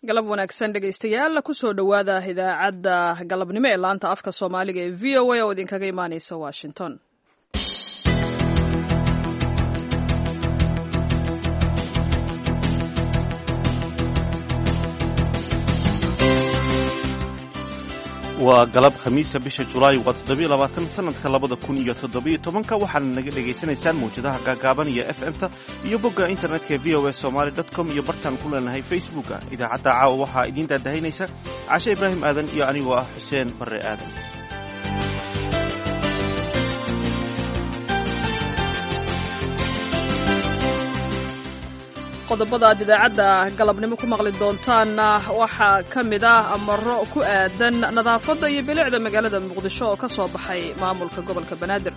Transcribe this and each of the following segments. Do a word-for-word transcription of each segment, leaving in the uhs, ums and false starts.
Galab wanaagsan, dhegaystayaal. Kusoo dhowaada idaacadda galabnimo ee laanta afka Soomaaliga ee V O A oo idinkaga imaaneysa Washington. Waa galab Khamiisa, bisha Julaay waa toddobiyo labaatan sanadka labada kun iyo toddobiyo tobanka. Waxaana naga dhegaysanaysaan mawjadaha gaagaaban iyo F M-ta iyo bogga internetka ee V O A Somali dot com iyo bartaan ku leenahay Facebooka. Idaacadda caawa waxaa idiin daadahinaysa Cashe Ibraahim Aadan iyo anigoo ah Xuseen Barre Aadan. Qodobada aad idaacadda galabnimo ku maqli doontaanna waxaa ka mid ah amaro ku aadan nadaafadda iyo bilicda magaalada Muqdisho oo ka soo baxay maamulka gobolka Banaadir.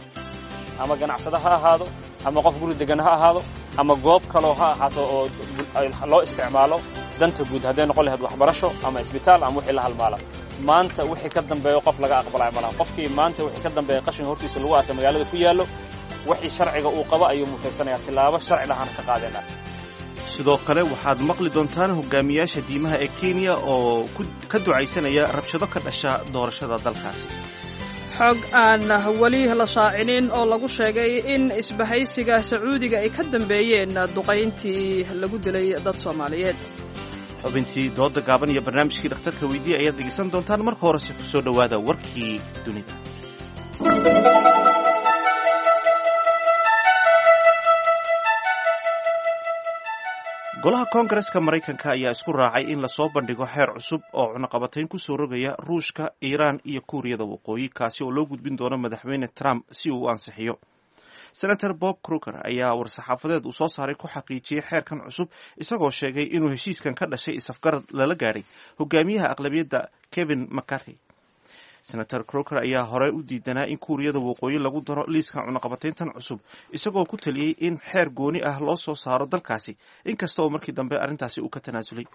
Ama ganacsado ha ahaado, ama qof guri degan ha ahaado, ama goob kaloo ha ahaato oo loo isticmaalo danta guud, hadday noqon lahayd waxbarasho ama isbitaal ama wixii la halmaala, maanta wixii ka dambeeyo qof laga aqbalaya malaha. Qofkii maanta wixii ka dambeeya qashin hortiisa lagu arka magaalada ku yaallo, wixii sharciga uu qabo ayuu mutaysanaya, tilaabo sharci lahaana ka qaadeenaa. Sidoo kale waxaad maqli doontaan hogaamiyaasha diimaha ee Kenya oo ka ducaysanaya rabshado ka dhasha doorashada dalkaasi. Xog aan weli la shaacinin oo lagu sheegay in isbahaysiga Sacuudiga ay ka dambeeyeen duqayntii lagu dilay dad Soomaaliyeed. Xubintii dooda gaaban iyo barnaamijkii dhakhtarka weydiiya ayaad dhegeysan doontaan. Marka horese ku soo dhowaada warkii dunida. Golaha Koongareska Maraykanka ayaa isku raacay in lasoo bandhigo xeer cusub oo cunaqabatayn kusoo rogaya Ruushka, Iiraan iyo Kuuriyada Waqooyi, kaasi oo loo gudbin doono Madaxweyne Trump si uu u ansixiyo. Senator Bob Corker ayaa war-saxaafadeed uu soo saaray ku xaqiijiyey xeerkan cusub, isagoo sheegay inuu heshiiskan ka dhashay isafgarad lala gaadhay hogaamiyaha aqlabiyadda Kevin McCarthy. Senator Corker ayaa hore u diidanaa in Kuuriyada Waqooyi lagu daro liiska cunaqabatayntan cusub, isagoo ku taliyey in xeer gooni ah loo soo saaro dalkaasi, inkasta oo markii dambe arrintaasi uu ka tanaasulay.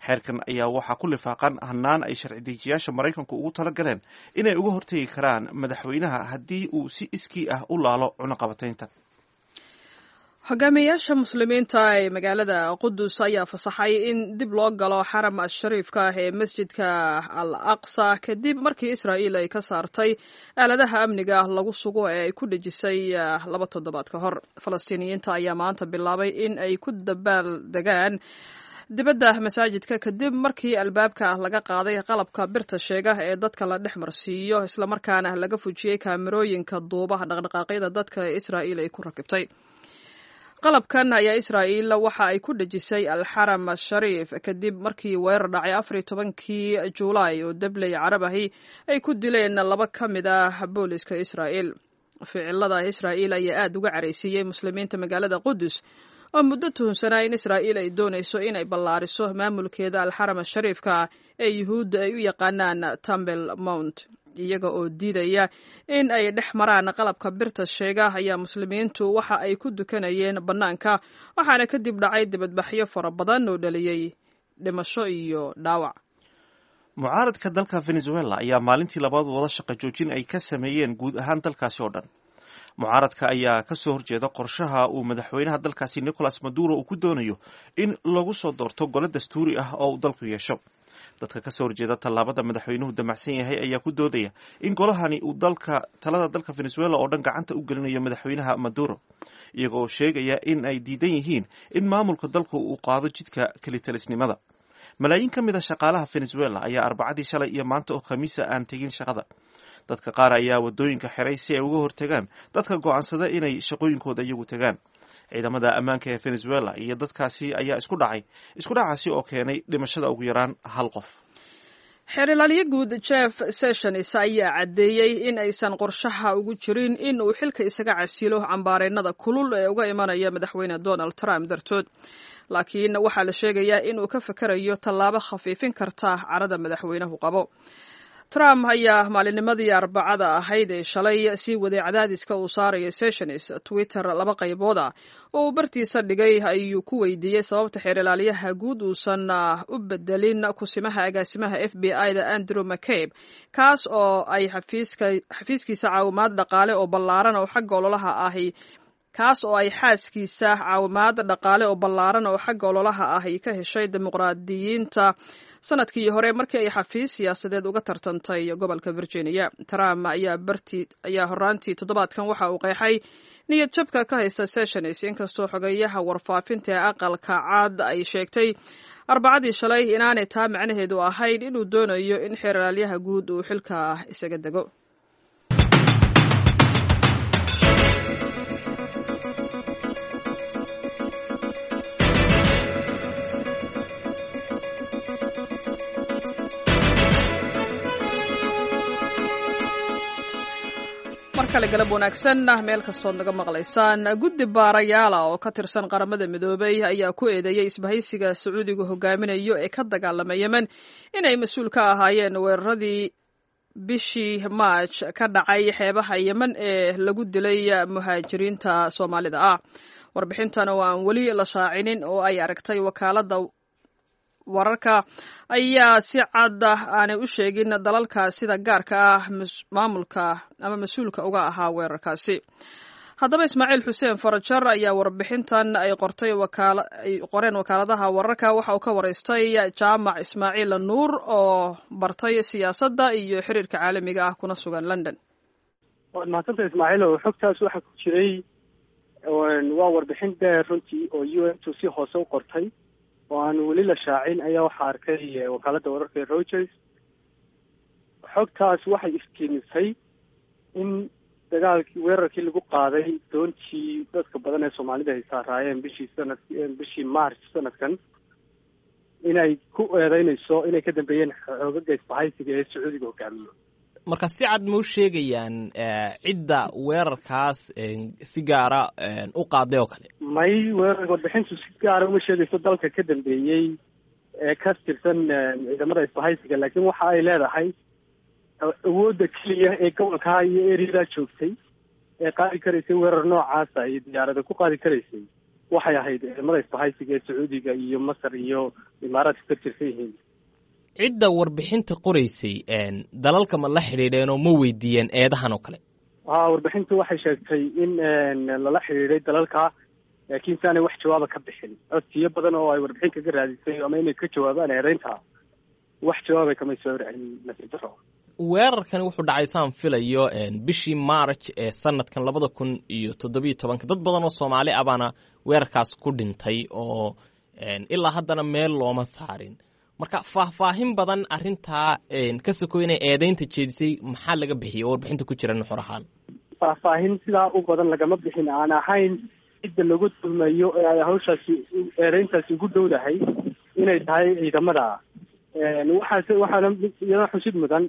Xeerkan ayaa waxaa ku lifaaqan hanaan ay sharci dejiyaasha Maraykanku ugu tala galeen inay uga hortegi karaan madaxweynaha haddii uu si iskii ah u laalo cunaqabataynta. Hogaamiyayaasha Muslimiinta ee magaalada Qudus ayaa fasaxay in dib loo galo xaram ashariifka ah ee masjidka Al Aqsa, kadib markii Israa'iil ay ka saartay aaladaha amniga lagu sugo ee ay ku dhejisay laba toddobaad ka hor. Falastiiniyiinta ayaa maanta bilaabay in ay ku dabaal degaan dibadda masaajidka, kadib markii albaabka laga qaaday qalabka birta sheega ee dadka la dhex marsiiyo, islamarkaana laga fujiyey kaamirooyinka duubaha dhaqdhaqaaqyada dadka ee Israa'iil ay ku rakibtay. Qalabkan ayaa Israa'iil waxa ay ku dhejisay Alxaram Ashariif kadib markii weerar dhacay afar iyo tobankii Juulaay oo dabley Carab ahi ay ku dileen laba ka mid ah booliska Israa'iil. Ficilada Israa'iil ayaa aada uga caraysiiyey Muslimiinta magaalada Qudus oo muddo tuhunsanaa in Israa'iil ay doonayso inay ballaariso maamulkeeda Alxaram Ashariifka ee Yuhuudda ay u yaqaanaan Temple Mount. Iyaga oo diidaya in ay dhex maraan qalabka birta sheega ayaa Muslimiintu waxa ay ku dukanayeen bannaanka, waxaana kadib dhacay dibadbaxyo fara badan oo dhaliyey dhimasho iyo dhaawac. Mucaaradka dalka Venezuela ayaa maalintii labaad wada shaqo joojin ay ka sameeyeen guud ahaan dalkaasi oo dhan. Mucaaradka ayaa kasoo horjeeda qorshaha uu madaxweynaha dalkaasi Nicolas Maduro uu ku doonayo in lagu soo doorto gole dastuuri ah oo uu dalku yeesho. Dadka kasoo horjeeda tallaabada madaxweynuhu damacsan yahay ayaa ku doodaya in golahani uu dalka talada dalka Venezuela oo dhan gacanta u gelinayo madaxweynaha Maduro, iyaga oo sheegaya in ay diidan yihiin in maamulka dalku uu qaado jidka kelitalisnimada. Malaayiin ka mid a shaqaalaha Venezuela ayaa Arbacadii shalay iyo maanta oo Khamiisa aan tegin shaqada. Dadka qaar ayaa wadooyinka xiray si ay uga hortagaan dadka go'aansada inay shaqooyinkooda iyagu tagaan. Ciidamada ammaanka ee Venezuela iyo dadkaasi ayaa isku dhacay, isku dhacaasi oo keenay dhimashada ugu yaraan hal qof. Xeer ilaaliye guud Jeff Sessions ayaa caddeeyey in aysan qorshaha ugu jirin in uu xilka isaga casilo cambaareennada kulul ee uga imanaya Madaxweyne Donald Trump dartood, laakiin waxaa la sheegayaa in uu ka fakerayo tallaabo khafiifin karta carada madaxweynuhu qabo. Trump ayaa maalinimadii Arbacada ahayd ee shalay sii waday cadaadiska uu saarayo Sessions. Twitter laba qaybood ah oo uu bartiisa dhigay ayuu ku weydiiyey sababta xeer ilaaliyaha guud uusan u bedelin kusimaha agaasimaha F B I da Andrew McCabe, kaas oo ay xafiiskiisa caawimaad dhaqaale oo ballaaran oo xagga ololaha ahi kaas oo ay xaaskiisa caawimaad dhaqaale oo ballaaran oo xagga ololaha ah ay ka heshay dimuqraadiyiinta sanadkii hore markii ay xafiis siyaasadeed uga tartantay gobolka Virginia. Trump ayaa barti ayaa horaantii toddobaadkan waxa uu qeexay niyad jabka ka haysta Sessions, inkastoo xogeyaha warfaafinta ee aqalka cad ay sheegtay Arbacadii shalay inaanay taa macnaheedu ahayn inuu doonayo in xeeralaalyaha guud uu xilka isaga dego. Markale galab wanaagsan meel kastood naga maqlaysaan. Guddi baarayaala oo ka tirsan Qaramada Midoobay ayaa ku eedeeyey isbahaysiga Sacuudigu hogaaminayo ee ka dagaalama Yemen inay mas-uul ka ahaayeen weeraradii bishii Maaj ka dhacay xeebaha Yemen ee lagu dilay muhaajiriinta Soomaalida ah. Warbixintan oo aan weli la shaacinin oo ay aragtay wakaalada wararka ayaa si cad aanay u sheegin dalalka sida gaarka ah maamulka ama mas-uulka uga ahaa weerarkaasi. Haddaba Ismaaciil Xuseen Farajar ayaa warbixintan ay qortay ay qoreen wakaaladaha wararka waxa uu ka waraystay Jaamac Ismaaciil Nuur oo bartay siyaasadda iyo xiriirka caalamiga ah kuna sugan London. Waad mahadsanta, Ismaaciil. Oo xogtaas waxaa ku jiray waa warbixin dheer runtii oo U N tu si hoose u qortay oo aan weli la shaacin ayaa waxaa arkay wakaaladda wararka ee Reuters. Xogtaas waxay iftiimisay in dagaalkii, weerarkii lagu qaaday doontii dadka badan ee Soomaalida ay saaraayeen bishii sanad bishii March sanadkan, inay ku eedeynayso inay ka dambeeyeen xoogaga isbahaysiga ee Sacuudiga hogaamiyo. Marka si cad ma u sheegayaan cidda weerarkaas si gaara u qaaday oo kale? May, weerar warbixintu si gaara uma sheegayso dalka ka dambeeyey ee ka tirsan ciidamada isbahaysiga, laakiin waxa ay leedahay awoodda keliya ee gobolkaa iyo areadaa joogtay ee qaadi karaysay weerar noocaasa iyo diyaarada ku qaadi karaysay waxay ahayd ciidamada isbahaysiga ee Sacuudiga iyo Masar iyo Imaaraadka ka tirsan yihiin. Cidda warbixinta qoraysay dalalka ma la xidhiidheen oo ma weydiiyeen eedahan oo kale? Ha, warbixintu waxay sheegtay in lala xidhiidhay dalalka, laakiin si aanay wax jawaaba ka bixin. Codsiyo badan oo ay warbixin kaga raadisay ama inay ka jawaabaan eedeynta, wax jawaabay kamay soo horcelin, nasiib daro. Weerarkani wuxuu dhacay, saan filayo, bishii March ee sanadkan labada kun iyo toddobiyo tobanka. Dad badan oo Soomaali ah baana weerarkaas ku dhintay oo ilaa haddana meel looma saarin. Marka faahfaahin badan arrintaa ka sokow inay eedeynta jeedisay maxaa laga bixiyay oo warbixinta ku jira nuxur ahaan? Faahfaahin sidaa u badan lagama bixin, aan ahayn cidda lagu tuhmayo ee ay hawshaasi eedeyntaasi ugu dhowdahay inay tahay ciidamada. Waxaase waxaana iyada xusid mudan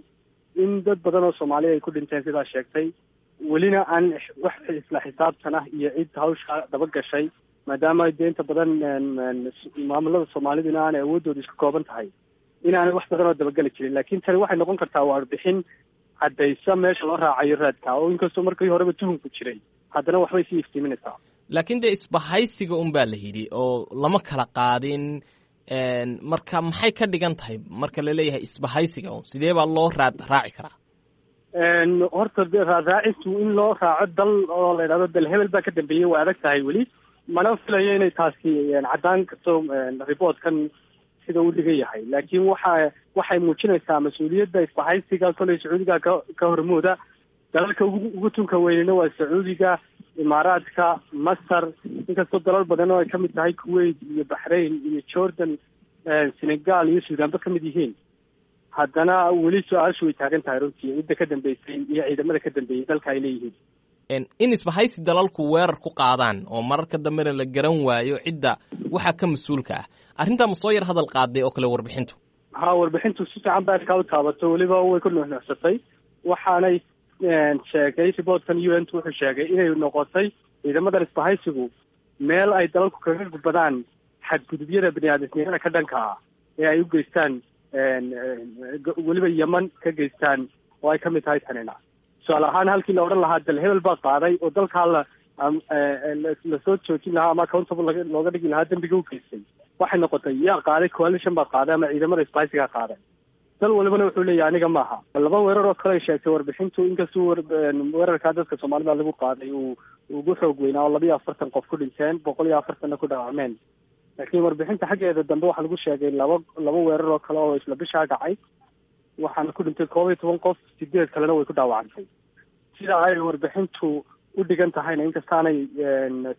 in dad badan oo Soomaaliya ay ku dhinteen sidaa sheegtay, welina aan wax isla xisaabtan ah iyo cid hawsha daba gashay, maadaama dee inta badan maamulada Soomaaliduna aanay awooddooda isku kooban tahay, inaanay wax badan oo dabageli jirin. Laakiin tani waxay noqon kartaa warbixin caddaysa meesha loo raacayo raadka, oo inkastoo markii horeba tuhunku jiray, haddana waxbay sii iftiiminaysaa. Laakiin dee isbahaysiga un baa la yidhi oo lama kala qaadin. Marka maxay ka dhigan tahay marka la leeyahay isbahaysiga un? Sidee baa loo raad raaci karaa? Horta raadraacistu in loo raaco dal oo la yidhahdo dal hebel baa ka dambeeyey waa adag tahay weli, mana filayo inay taasi caddaan karto reportkan sida uu dhigan yahay. Laakiin waxa waxay muujinaysaa mas-uuliyadda isbahaysiga. Koley Sacuudiga ka ka hormooda, dalalka ugu ugu tunka weynina waa Sacuudiga, Imaaraadka, Masar, inkastoo dalal badan oo ay kamid tahay Kuwait iyo Baxrain iyo Jordan, Senegal iyo Suudaanba kamid yihiin, haddana weli su-aashu way taagan tahay runtii cidda ka dambeysay iyo ciidamada ka dambeeyey dalka ay leeyihiin. In isbahaysi dalalku weerar ku qaadaan oo mararka dambena la garan waayo cidda waxaa ka mas-uulka ah, arrintaa ma soo yar hadal qaaday oo kale warbixintu? Ha, warbixintu si fiican ba arkaa u taabato, weliba way ku nuxnuxsatay. Waxaanay sheegay reportkan U N t wuxuu sheegay inay noqotay ciidamadan isbahaysigu meel ay dalalku kaga gudbadaan xadgudubyada bini aadamnimada ka dhanka ah ee ay u geystaan, weliba Yeman ka geystaan, oo ay kamid tahay tanina. Tusaale ahaan, halkii la odhan lahaa dal hebel baa qaaday oo dalkaa la lasoo joojin lahaa ama accountable looga dhigi lahaa dembiga u geystay, waxay noqotay yaa qaaday, coalition baa qaaday ama ciidamada isbahaysigaa qaaday. Dal walibana wuxuu leeyahay aniga maaha. Laba weerar oo kale ay sheegtay warbixintu, inkastuu weerarkaa dadka soomaalida lagu qaaday uu ugu xoog weynaa oo laba iyo afartan qof ku dhinteen, boqol iyo afartanna ku dhaawacmeen, laakiin warbixinta xaggeeda dambe waxaa lagu sheegay laba laba weerar oo kale oo isla bishaa dhacay, waxaana ku dhintay koob iyo toban qof, sideed kalena way ku dhaawacantay. Sida ay warbixintu u dhigan tahayna, inkastaanay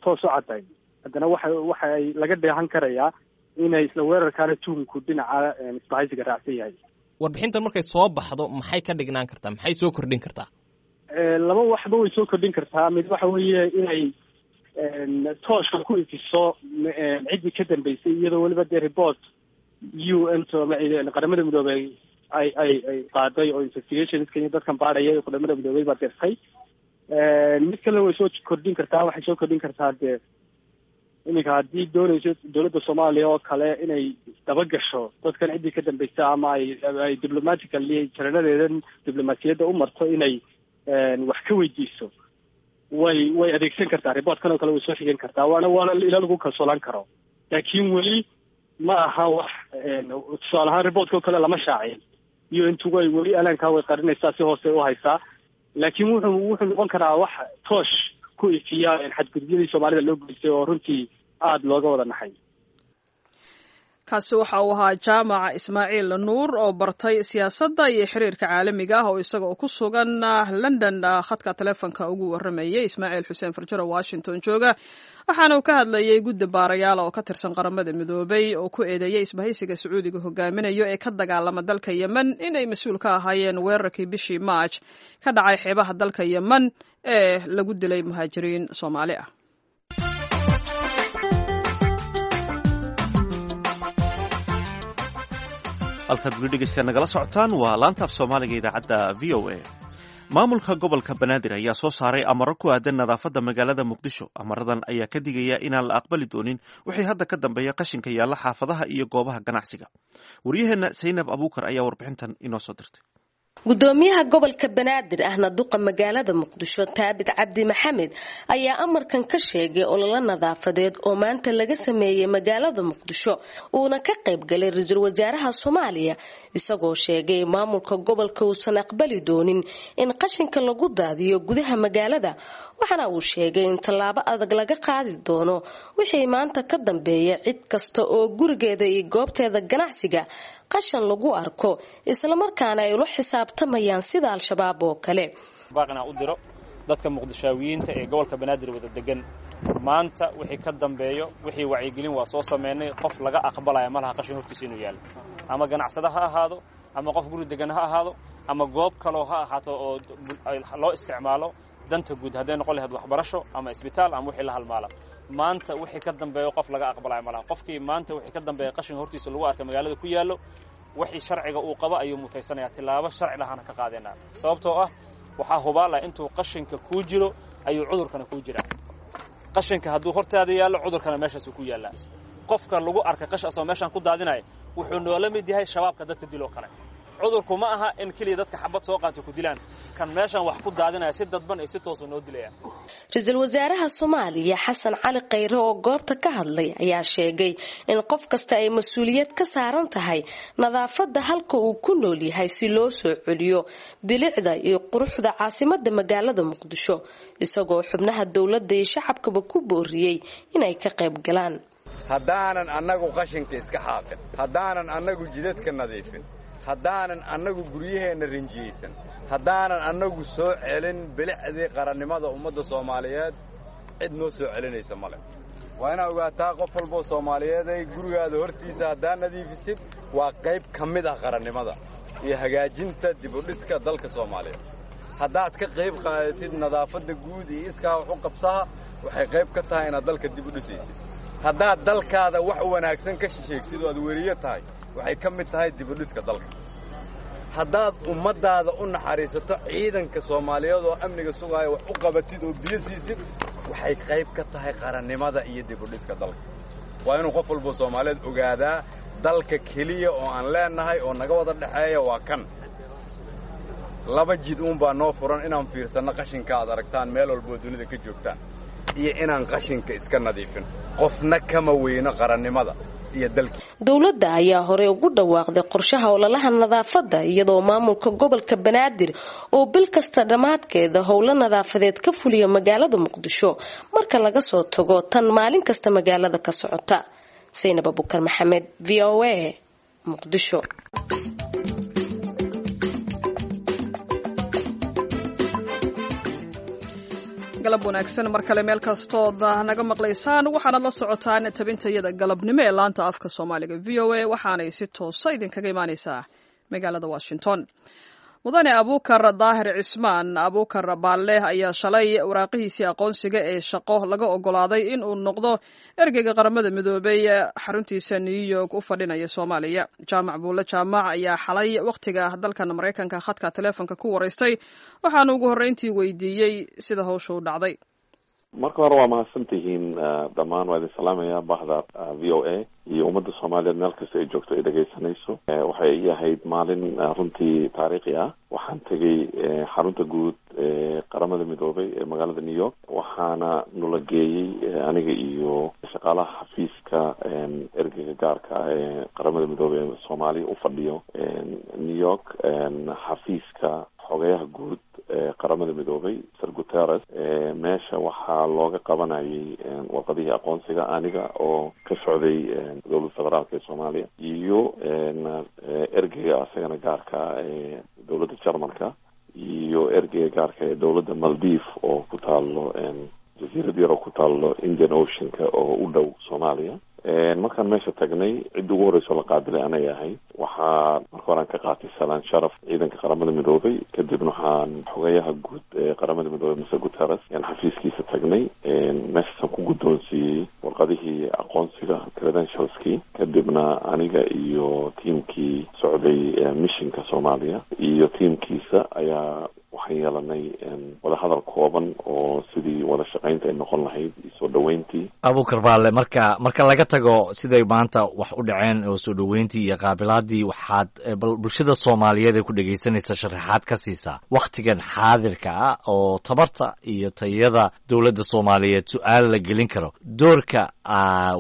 toos u caddayn, haddana waxa waxa ay laga dheehan karayaa inay isla weerarkaana tuhumku dhinaca isbahaysiga raacsan yahay. Warbixintan markay soo baxdo maxay ka dhignaan kartaa, maxay soo kordhin kartaa? Laba waxba way soo kordhin kartaa. Mid waxa weeye inay tooshka ku ifiso ciddii ka dambeysay, iyadoo weliba dee report U N Qaramada Midoobey ay ay ay qaaday oo investigationska iyo dadkan baadhaya Qaramada Midoobey baa dirtay. Mid kalena way soo kordhin kartaa, waxay soo kordhin kartaa dee iminka haddii doonayso dowladda Soomaaliya oo kale inay dabagasho dadkan ciddii ka dambeysa, ama ay ay diplomatically jaranadeedan diblomaasiyadda u marto inay wax ka weydiiso, way way adeegsan kartaa reportkan oo kale, way soo xigan kartaa, waana waana ila lagu kalsoolaan karo. Laakiin weli ma aha wax, tusaale ahaan reportka oo kale lama shaacin iyo intu way weli alaankaa way qarinaysaa, si hoose u haysaa, laakiin wuxuu wuxuu noqon karaa wax toosh ku ifiya xadgudubyadii soomaalida loo geystay oo runtii aada looga wada naxay. Kaasi waxa uu ahaa Jaamac Ismaaciil Nuur oo bartay siyaasadda iyo xiriirka caalamiga ah, oo isaga oo ku sugan London khadka taleefonka ugu waramayay Ismaaciil Xuseen Farjaro, Washington jooga. Waxaana uu ka hadlayay guddi baarayaal oo ka tirsan Qaramada Midoobay oo ku eedeeyay isbahaysiga Sacuudiga hogaaminayo ee ka dagaalama dalka Yemen inay mas-uul ka ahaayeen weerarkii bishii Maaj ka dhacay xeebaha dalka Yemen ee lagu dilay muhaajiriin Soomaali ah. Halkaad weli dhegeystayaa nagala socotaan waa laanta af Soomaaliga, idaacadda V O A. Maamulka gobolka Banaadir ayaa soo saaray amaro ku aadan nadaafadda magaalada Muqdisho. Amaradan ayaa ka digaya inaan la aqbali doonin wixii hadda ka dambeeya qashinka yaalla xaafadaha iyo goobaha ganacsiga. Waryaheenna Saynab Abuukar ayaa warbixintan inoo soo dirtay. Gudoomiyaha gobolka Banaadir ahna duqa magaalada Muqdisho, Taabit Cabdi Maxamed, ayaa amarkan ka sheegay ololo nadaafadeed oo maanta laga sameeyey magaalada Muqdisho, uuna ka qayb galay ra-iisul wasaaraha Soomaaliya, isagoo sheegay maamulka gobolka uusan aqbali doonin in qashinka lagu daadiyo gudaha magaalada. Waxaana uu sheegay in tallaabo adag laga qaadi doono wixii maanta ka dambeeya cid kasta oo gurigeeda iyo goobteeda ganacsiga qashan lagu arko, islamarkaana ay ula xisaabtamayaan sida Al-Shabaab oo kale. Baaqina u diro dadka Muqdishaawiyiinta ee gobolka Banaadir wada degan: maanta wixii ka dambeeyo, wixii wacyigelin waa soo sameynay, qof laga aqbalaya ma laha qashin hortiisa inuu yaallo, ama ganacsada ha ahaado, ama qof guri degan ha ahaado, ama goob kaloo ha ahaato oo loo isticmaalo danta guud, hadday noqon lahayd waxbarasho ama isbitaal ama wixii la halmaala. Maanta wixii ka dambeeyo qof laga aqbalaya malaha. Qofkii maanta wixii ka dambeeya qashin hortiisa lagu arka magaalada ku yaallo, wixii sharciga uu qabo ayuu mutaysanayaa, tilaabo sharci lahaana ka qaadaynaa, sababtoo ah waxaa hubaala intuu qashinka kuu jiro ayuu cudurkana kuu jiraa. Qashinka hadduu hortaada yaallo, cudurkana meeshaasuu ku yaallaa. Qofka lagu arka qash asoo meeshaan ku daadinaya wuxuu noola mid yahay Shabaabka dadka diloo kale. Cudurku ma aha in keliya dadka xabad soo qaato ku dilaan, kan meeshan wax ku daadinaya si dadban iyo si toosu noo dilayaan. Ra-iisul wasaaraha Soomaaliya Xasan Cali Khayre oo goobta ka hadlay ayaa sheegay in qof kasta ay mas-uuliyad ka saaran tahay nadaafadda halka uu ku nool yahay, si loo soo celiyo bilicda iyo quruxda caasimada magaalada Muqdisho, isagoo xubnaha dowladda iyo shacabkaba ku booriyey inay ka qayb galaan. Haddaanan annagu qashinka iska xaaqin, haddaanan annagu jidadka nadiifin, haddaanan annagu guryaheenna rinjiyeysan, haddaanan annagu soo celin bilicdii qarannimada ummadda Soomaaliyeed, cid noo soo celinaysa male. Waa inaa ogaataa qof walboo Soomaaliyeeday, gurigaada hortiisa haddaa nadiifisid waa qayb ka mid ah qarannimada iyo hagaajinta dibudhiska dalka Soomaaliyeed. Haddaad ka qayb qaadatid nadaafadda guud iyo iskaa wax u qabsaha, waxay qayb ka tahay inaad dalka dib u dhisaysid. Haddaad dalkaada wax wanaagsan ka shisheegtid oo aad weriyo tahay, waxay ka mid tahay dibudhiska dalka. Haddaad ummaddaada u naxariisato, ciidanka Soomaaliyeed oo amniga sugaaya wax u qabatid oo biyo siisid, waxay qayb ka tahay qarannimada iyo dibudhiska dalka. Waa inuu qof walbo Soomaaliyeed ogaadaa dalka keliya oo aan leenahay oo naga wada dhexeeya waa kan. Laba jid uunbaa noo furan: inaan fiirsanno qashinka aad aragtaan meel walboo dunida ka joogtaan, iyo inaan qashinka iska nadiifin. Qofna kama weyno qarannimada. Dowladda ayaa horey ugu dhawaaqday qorshaha ololaha nadaafadda, iyadoo maamulka gobolka Banaadir oo bil kasta dhammaadkeeda howlo nadaafadeed ka fuliya magaalada Muqdisho marka laga soo tago tan maalin kasta magaalada ka socota. Saynab Abukar Maxamed, V O A, Muqdisho. Galab wanaagsan mar kale meel kastood naga maqlaysaan. Waxaanad la socotaan tabintayada galabnimo ee laanta afka Soomaaliga V O A, waxaanay si toosa idinkaga imaaneysaa magaalada Washington. Mudane Abuukar Daahir Cismaan Abuukar Baalle ayaa shalay waraaqihiisii aqoonsiga ee shaqo laga ogolaaday in uu noqdo ergeyga Qaramada Midoobay xaruntiisa New York u fadhinaya Soomaaliya. Jaamac Buulle Jaamac ayaa xalay wakhtiga dalkan Maraykanka khadka taleefonka ku waraystay, waxaana ugu horreyntii weydiiyey sida hawsha u dhacday. Marka hore waa mahadsantihiin dhammaan, waa idin salaamaya bahda V O A iyo ummadda Soomaaliyeed meel kasta ay joogto ay dhegaysanayso. Waxay ii ahayd maalin runtii taariikhi ah. Waxaan tegay xarunta guud ee Qaramada Midoobay ee magaalada New York, waxaana nula geeyey aniga iyo shaqaalaha xafiiska ergeyga gaarka ah ee Qaramada Midoobay ee Soomaaliya u fadhiyo New York, xafiiska xogeyaha guud ee Qaramada Midoobay Mister Guterres. Meesha waxaa looga qabanayay warqadihii aqoonsiga aniga oo ka socday dowladda federaalka ee Soomaaliya iyo ergeyga isagana gaarka ah ee dowladda Jarmalka iyo ergeyga gaarka ee dowladda Maldive oo ku taalo jasiirad yar oo ku taalo Indian Oceanka oo u dhow Soomaaliya. Markaan meesha tagnay, cidda ugu horreysa oo la qaabilay anay ahayd. Waxaa marka hore aan ka qaatay salaan sharaf ciidanka Qaramada Midoobay, kadibna waxaan xogeyaha guud ee Qaramada Midoobay Mister Guterres ayaan xafiiskiisa tagnay. Meeshaasaan ku guddoonsiiyey warqadihii aqoonsiga, credentialskii. Kadibna aniga iyo tiamkii socday missionka Soomaaliya iyo tiamkiisa ayaa waxaan yeelanay wadahadal kooban oo sidii wada shaqaynta ay noqon lahayd iyo soo dhaweyntii. Abuukar Baalle, marka marka laga tago siday maanta wax u dhaceen oo soo dhaweyntii iyo qaabilaadii, waxaad bal bulshada Soomaaliyeed ee ku dhegaysanaysa sharaxaad ka siisaa wakhtigan xaadirka ah oo tabarta iyo tayada dowladda Soomaaliyeed su-aal la gelin karo, doorka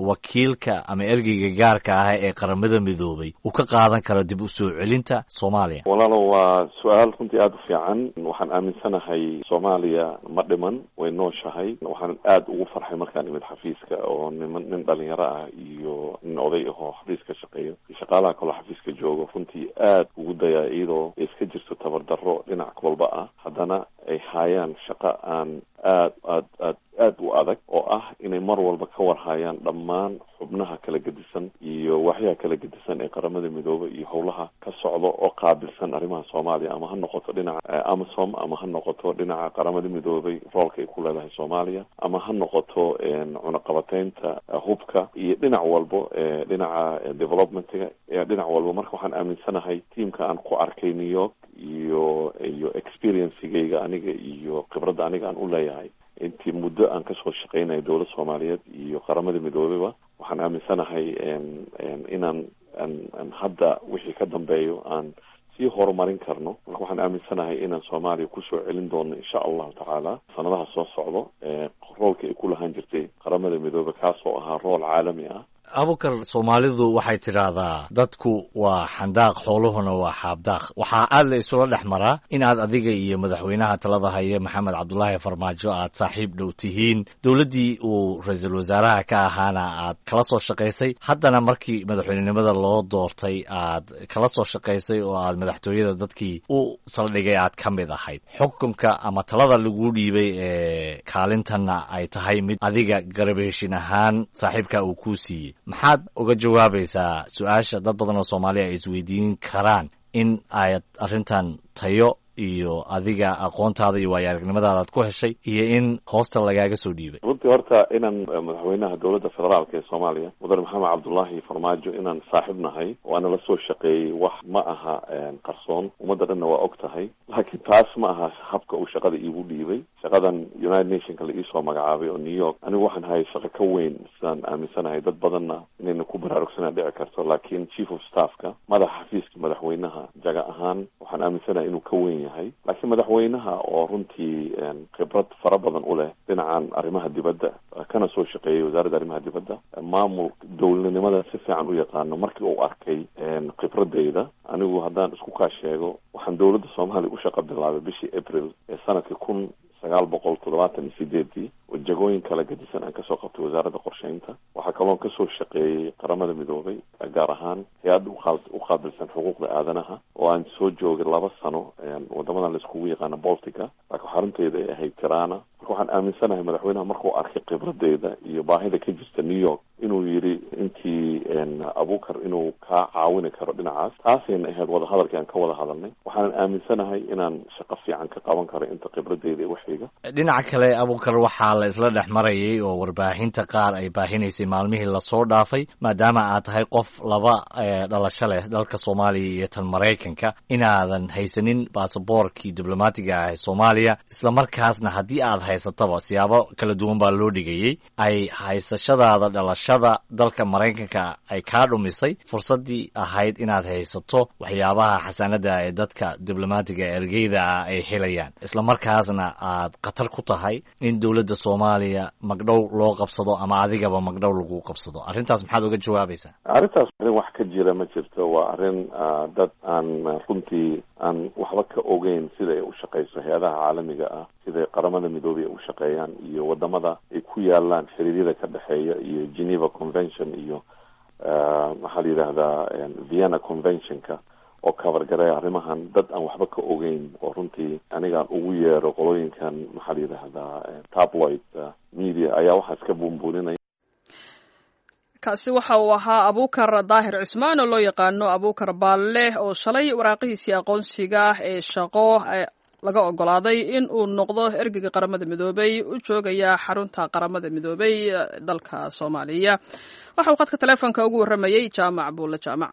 wakiilka ama ergeyga gaarka ah ee Qaramada Midoobay uu ka qaadan karo dib u soo celinta Soomaaliya. Walaalo, waa su-aal runtii aada u fiican. Waxaan aaminsanahay Soomaaliya ma dhiman, way nooshahay. Waxaan aada ugu farxay markaan imid xafiiska oo niman, nin dhalinyaro ah iyo nin oday ahoo xafiiska shaqeeyo iyo shaqaalaha kaloo xafiiska joogo, runtii aada ugu dayaa iyadoo iska jirto tabardarro dhinac walba ah, haddana ay haayaan shaqo aan aad aad aad aad u adag oo ah inay mar walba ka warhayaan dhammaan xubnaha kala gedisan iyo waaxyaha kala gedisan ee Qaramada Midoobay iyo howlaha ka socda oo qaabilsan arrimaha Soomaaliya, ama ha noqoto dhinaca AMISOM, ama ha noqoto dhinaca Qaramada Midoobay roolka ay ku leedahay Soomaaliya, ama ha noqoto cunaqabateynta hubka iyo dhinac walbo, dhinaca developmentiga, dhinac walbo. Marka waxaan aaminsanahay tiamka aan ku arkay New York iyo iyo experiencegayga aniga iyo khibradda aniga aan u leeyahay intii muddo aan kasoo shaqeynaya dowladda Soomaaliyeed iyo Qaramada Midoobeyba, waxaan aaminsanahay inaan an hadda wixii ka dambeeyo aan sii horumarin karno. Marka waxaan aaminsanahay inaan Soomaaliya kusoo celin doono insha allahu tacaala sanadaha soo socdo roolka ay ku lahaan jirtay Qaramada Midoobe, kaasoo ahaa rool caalami ah. Abukar, Soomaalidu waxay tidhaahdaa dadku waa xandaaq, xooluhuna waa xaabdaaq. Waxaa aad la isula dhex maraa in aad adiga iyo madaxweynaha talada haya Maxamed Cabdulaahi Farmaajo aad saaxiib dhow tihiin, dowladdii uu ra-iisul wasaaraha ka ahaana aad kala soo shaqaysay, haddana markii madaxweynenimada loo doortay aad kala soo shaqaysay oo aad madaxtooyada dadkii u saldhigay aad ka mid ahayd. Xukunka ama talada lagu dhiibay ee kaalintanna ay tahay mid adiga garab heshin ahaan saaxiibka uu kuu siiyey. Maxaad uga jawaabaysaa su-aasha dad badan oo Soomaaliya ay isweydiin karaan in aad arrintan tayo iyo adiga aqoontaada iyo waayo aragnimadaada aad ku heshay iyo in hoosta lagaaga soo dhiibay? Runtii horta inaan madaxweynaha dowladda federaalka ee Soomaaliya Mudane Maxamed Cabdullaahi Farmaajo inaan saaxiib nahay oo ana la soo shaqeeyey wax ma aha qarsoon, ummadda dhanna waa og tahay. Laakiin taas ma aha habka uu shaqada iigu dhiibay. Shaqadan United Nationka la iisoo magacaabay oo New York, anigu waxaan hayay shaqo ka weyn sidaan aaminsanahay, dad badanna inayna ku baraarugsanaa dhici karto. Laakiin chief of staffka, madaxa xafiiska madaxweynaha, jaga ahaan waxaan aaminsanahay inuu ka weyn yahay. yahay. Laakiin madaxweynaha oo runtii khibrad fara badan u leh dhinacan arrimaha dibadda, kana soo shaqeeyay wasaaradda arrimaha dibadda, maamul dowladnimada si fiican u yaqaano, markii uu arkay khibradeyda, anigu haddaan isku kaa sheego, waxaan dowladda Soomaaliya u shaqa bilaabay bishii April ee sanadka kun sagaal boqol toddobaatan iyo sideedii, oo jagooyin kala gadisan aan kasoo qabtay wasaaradda qorsheynta. Waxaa kaloon kasoo shaqeeyey Qaramada Midoobay, gaar ahaan hay-adda u qaabilsan xuquuqda aadanaha, oo aan soo joogay laba sano wadamadan laiskugu yaqaano Baltica, laakiin xarunteeda ay ahayd Tirana. Marka waxaan aaminsanahay madaxweynaha markuu arkay khibradeyda iyo baahida ka jirta New York inuu yidhi intii Abuukar inuu kaa caawini karo dhinacaas. Taasayna ahayd wadahadalkii aan ka wada hadalnay. Waxaanan aaminsanahay inaan shaqo fiican ka qaban karo inta khibradeyda iyo waxayga. Dhinaca kale, Abuukar, waxaa la isla dhex marayay oo warbaahinta qaar ay baahinaysay maalmihii lasoo dhaafay, maadaama aad tahay qof laba dhalasho leh, dalka Soomaaliya iyo tan Maraykanka, inaadan haysanin baasaboorkii diblomaatiga ah ee Soomaaliya, islamarkaasna haddii aad haysataba siyaabo kala duwan baa loo dhigayay, ay haysashadaada dhalashada dalka Maraykanka ay kaa dhumisay fursaddii ahayd inaad haysato waxyaabaha xasaanada ee dadka diblomaatiga ergeyda ah ay helayaan, islamarkaasna aad khatar ku tahay in dowladda Soomaaliya magdhow loo qabsado ama adigaba magdhow lagu qabsado. Arrintaas maxaad uga jawaabaysaa? Arrintaas arrin wax ka jira ma jirto. Waa arrin dad aan runtii aan waxba ka ogeyn sida ay u shaqeyso hay-adaha caalamiga ah, siday Qaramada Midoobay ay u shaqeeyaan iyo wadamada ay ku yaalaan xiriiryada ka dhexeeya iyo Geneva Convention iyo maxaa la yidhaahdaa Vienna Conventionka oo cover gareeya arrimahan. Dad aan waxba ka ogeyn oo runtii anigaan ugu yeero qolooyinkan maxaa la yidhaahdaa tabloid media ayaa waxaas ka buunbuuninaya. Kaasi waxa uu ahaa Abuukar Daahir Cismaan oo loo yaqaano Abuukar Baalle, oo shalay waraaqihiisii aqoonsiga ee shaqo laga ogolaaday in uu noqdo ergeyga Qaramada Midoobay u joogaya xarunta Qaramada Midoobay dalka Soomaaliya. Waxa uu khadka taleefonka ugu warramayey Jaamac Buulle Jaamac.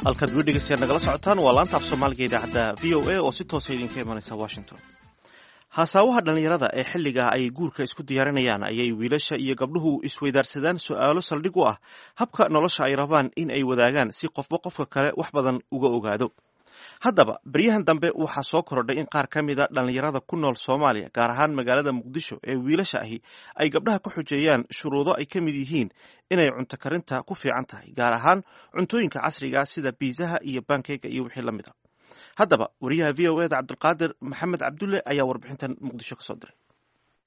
Halkaad weli dhegeystayaal nagala socotaan waa laanta af Soomaaliga idaacadda V O A oo si toosa idinka imanaysa Washington. Haasaawaha dhallinyarada ee xilliga ay guurka isku diyaarinayaan ayay wiilasha iyo gabdhuhu isweydaarsadaan su'aalo saldhig u ah habka nolosha ay rabaan in ay wadaagaan, si qofba qofka kale wax badan uga ogaado. Haddaba beryahan dambe waxaa soo korodhay in qaar ka mida dhallinyarada ku nool Soomaaliya, gaar ahaan magaalada Muqdisho, ee wiilasha ahi ay gabdhaha ku xujeeyaan shuruudo ay ka mid yihiin inay cunto karinta ku fiican tahay, gaar ahaan cuntooyinka casriga sida biisaha iyo bankeyga iyo wixii la mid a. Haddaba wariyaha V O E da Cabdulqaadir Maxamed Cabdulle ayaa warbixintan Muqdisho ka soo diray.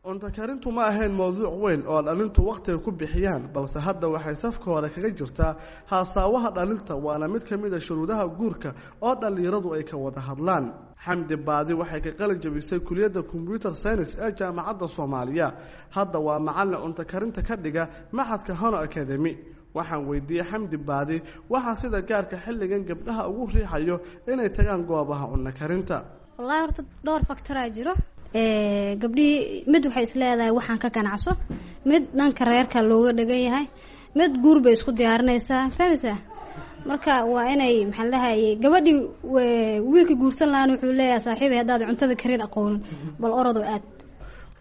Cunto karintu ma ahayn mowduuc weyn oo dhalintu wakhtiga ku bixiyaan, balse hadda waxay safka hore kaga jirtaa haasaawaha dhalinta, waana mid ka mid a shuruudaha guurka oo dhallinyaradu ay ka wada hadlaan. Xamdi Baadi waxay ka qalin jabisay kuliyadda computer science ee Jaamacadda Soomaaliya. Hadda waa macallin cunto karinta ka dhiga maxadka Hono Academy. Waxaan weydiiyey Xamdi Baadi waxaa sida gaarka xilligan gabdhaha ugu riixayo inay tagaan goobaha cunno karinta. Wallahi horta dhowr factoraa jiro. Gabdhihii mid waxay isleedahay waxaan ka ganacso, mid dhanka reerka looga dhagan yahay, mid guur bay isku diyaarinaysaa, fahmaysaa? Marka waa inay maxaa ladhahayay gabadhii wiilka guursan lahaana wuxuu leeyahay, saaxiibay, haddaad cuntada karin aqoonin bal orodoo aad.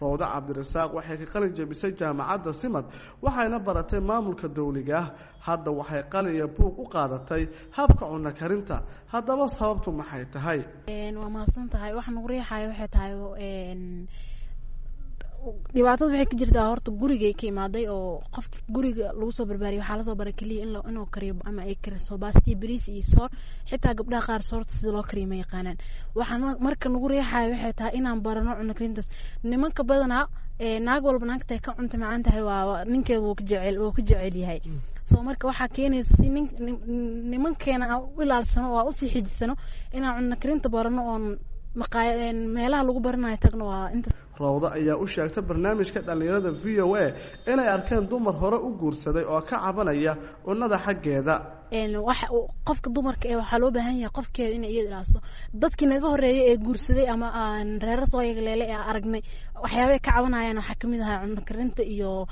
Rawdo Cabdirasaaq waxay ka qalin jabisay Jaamacadda Simad, waxayna baratay maamulka dowliga ah. Hadda waxay qalin iyo buug u qaadatay habka cunno karinta. Haddaba sababtu maxay tahay? Waa mahadsan tahay. Waxa nagu riixayo waxay tahay dhibaatada waxay ka jirtaa horta gurigay ka imaaday, oo qofka guriga lagu soo barbaariyay waxaa lasoo baray keliya in inuu kariyo ama ay kariso baasti, bariis iyo soor. Xitaa gabdhaha qaar soorta sida loo kariyo ma yaqaanaan. Waxaa marka nagu riixayo waxay tahay inaan barano cunno karintaas. Nimanka badanaa, naag walba naagtay ka cunta macaan tahay waa ninkeeda wuu ka jecel wuu ka jecel yahay. So marka waxaa keenaysa si nin nimankeena aan u ilaalsano oo aan usii xijisano inaan cunno karinta barano, oon maqaaya meelaha lagu baranayo tagno, waa inta. Rawdo ayaa u sheegtay barnaamijka dhallinyarada V O A inay arkeen dumar hore u guursaday oo ka cabanaya cunnada xaggeeda. Waxa qofka dumarka ee waxaa loo baahan yahay qofkeeda inay iyada ilaaliso. Dadkii naga horreeyay ee guursaday ama aan reero soo yagleelay ee aragnay waxyaabay ka cabanayaan waxaa kamid ahaa cunno karinta iyo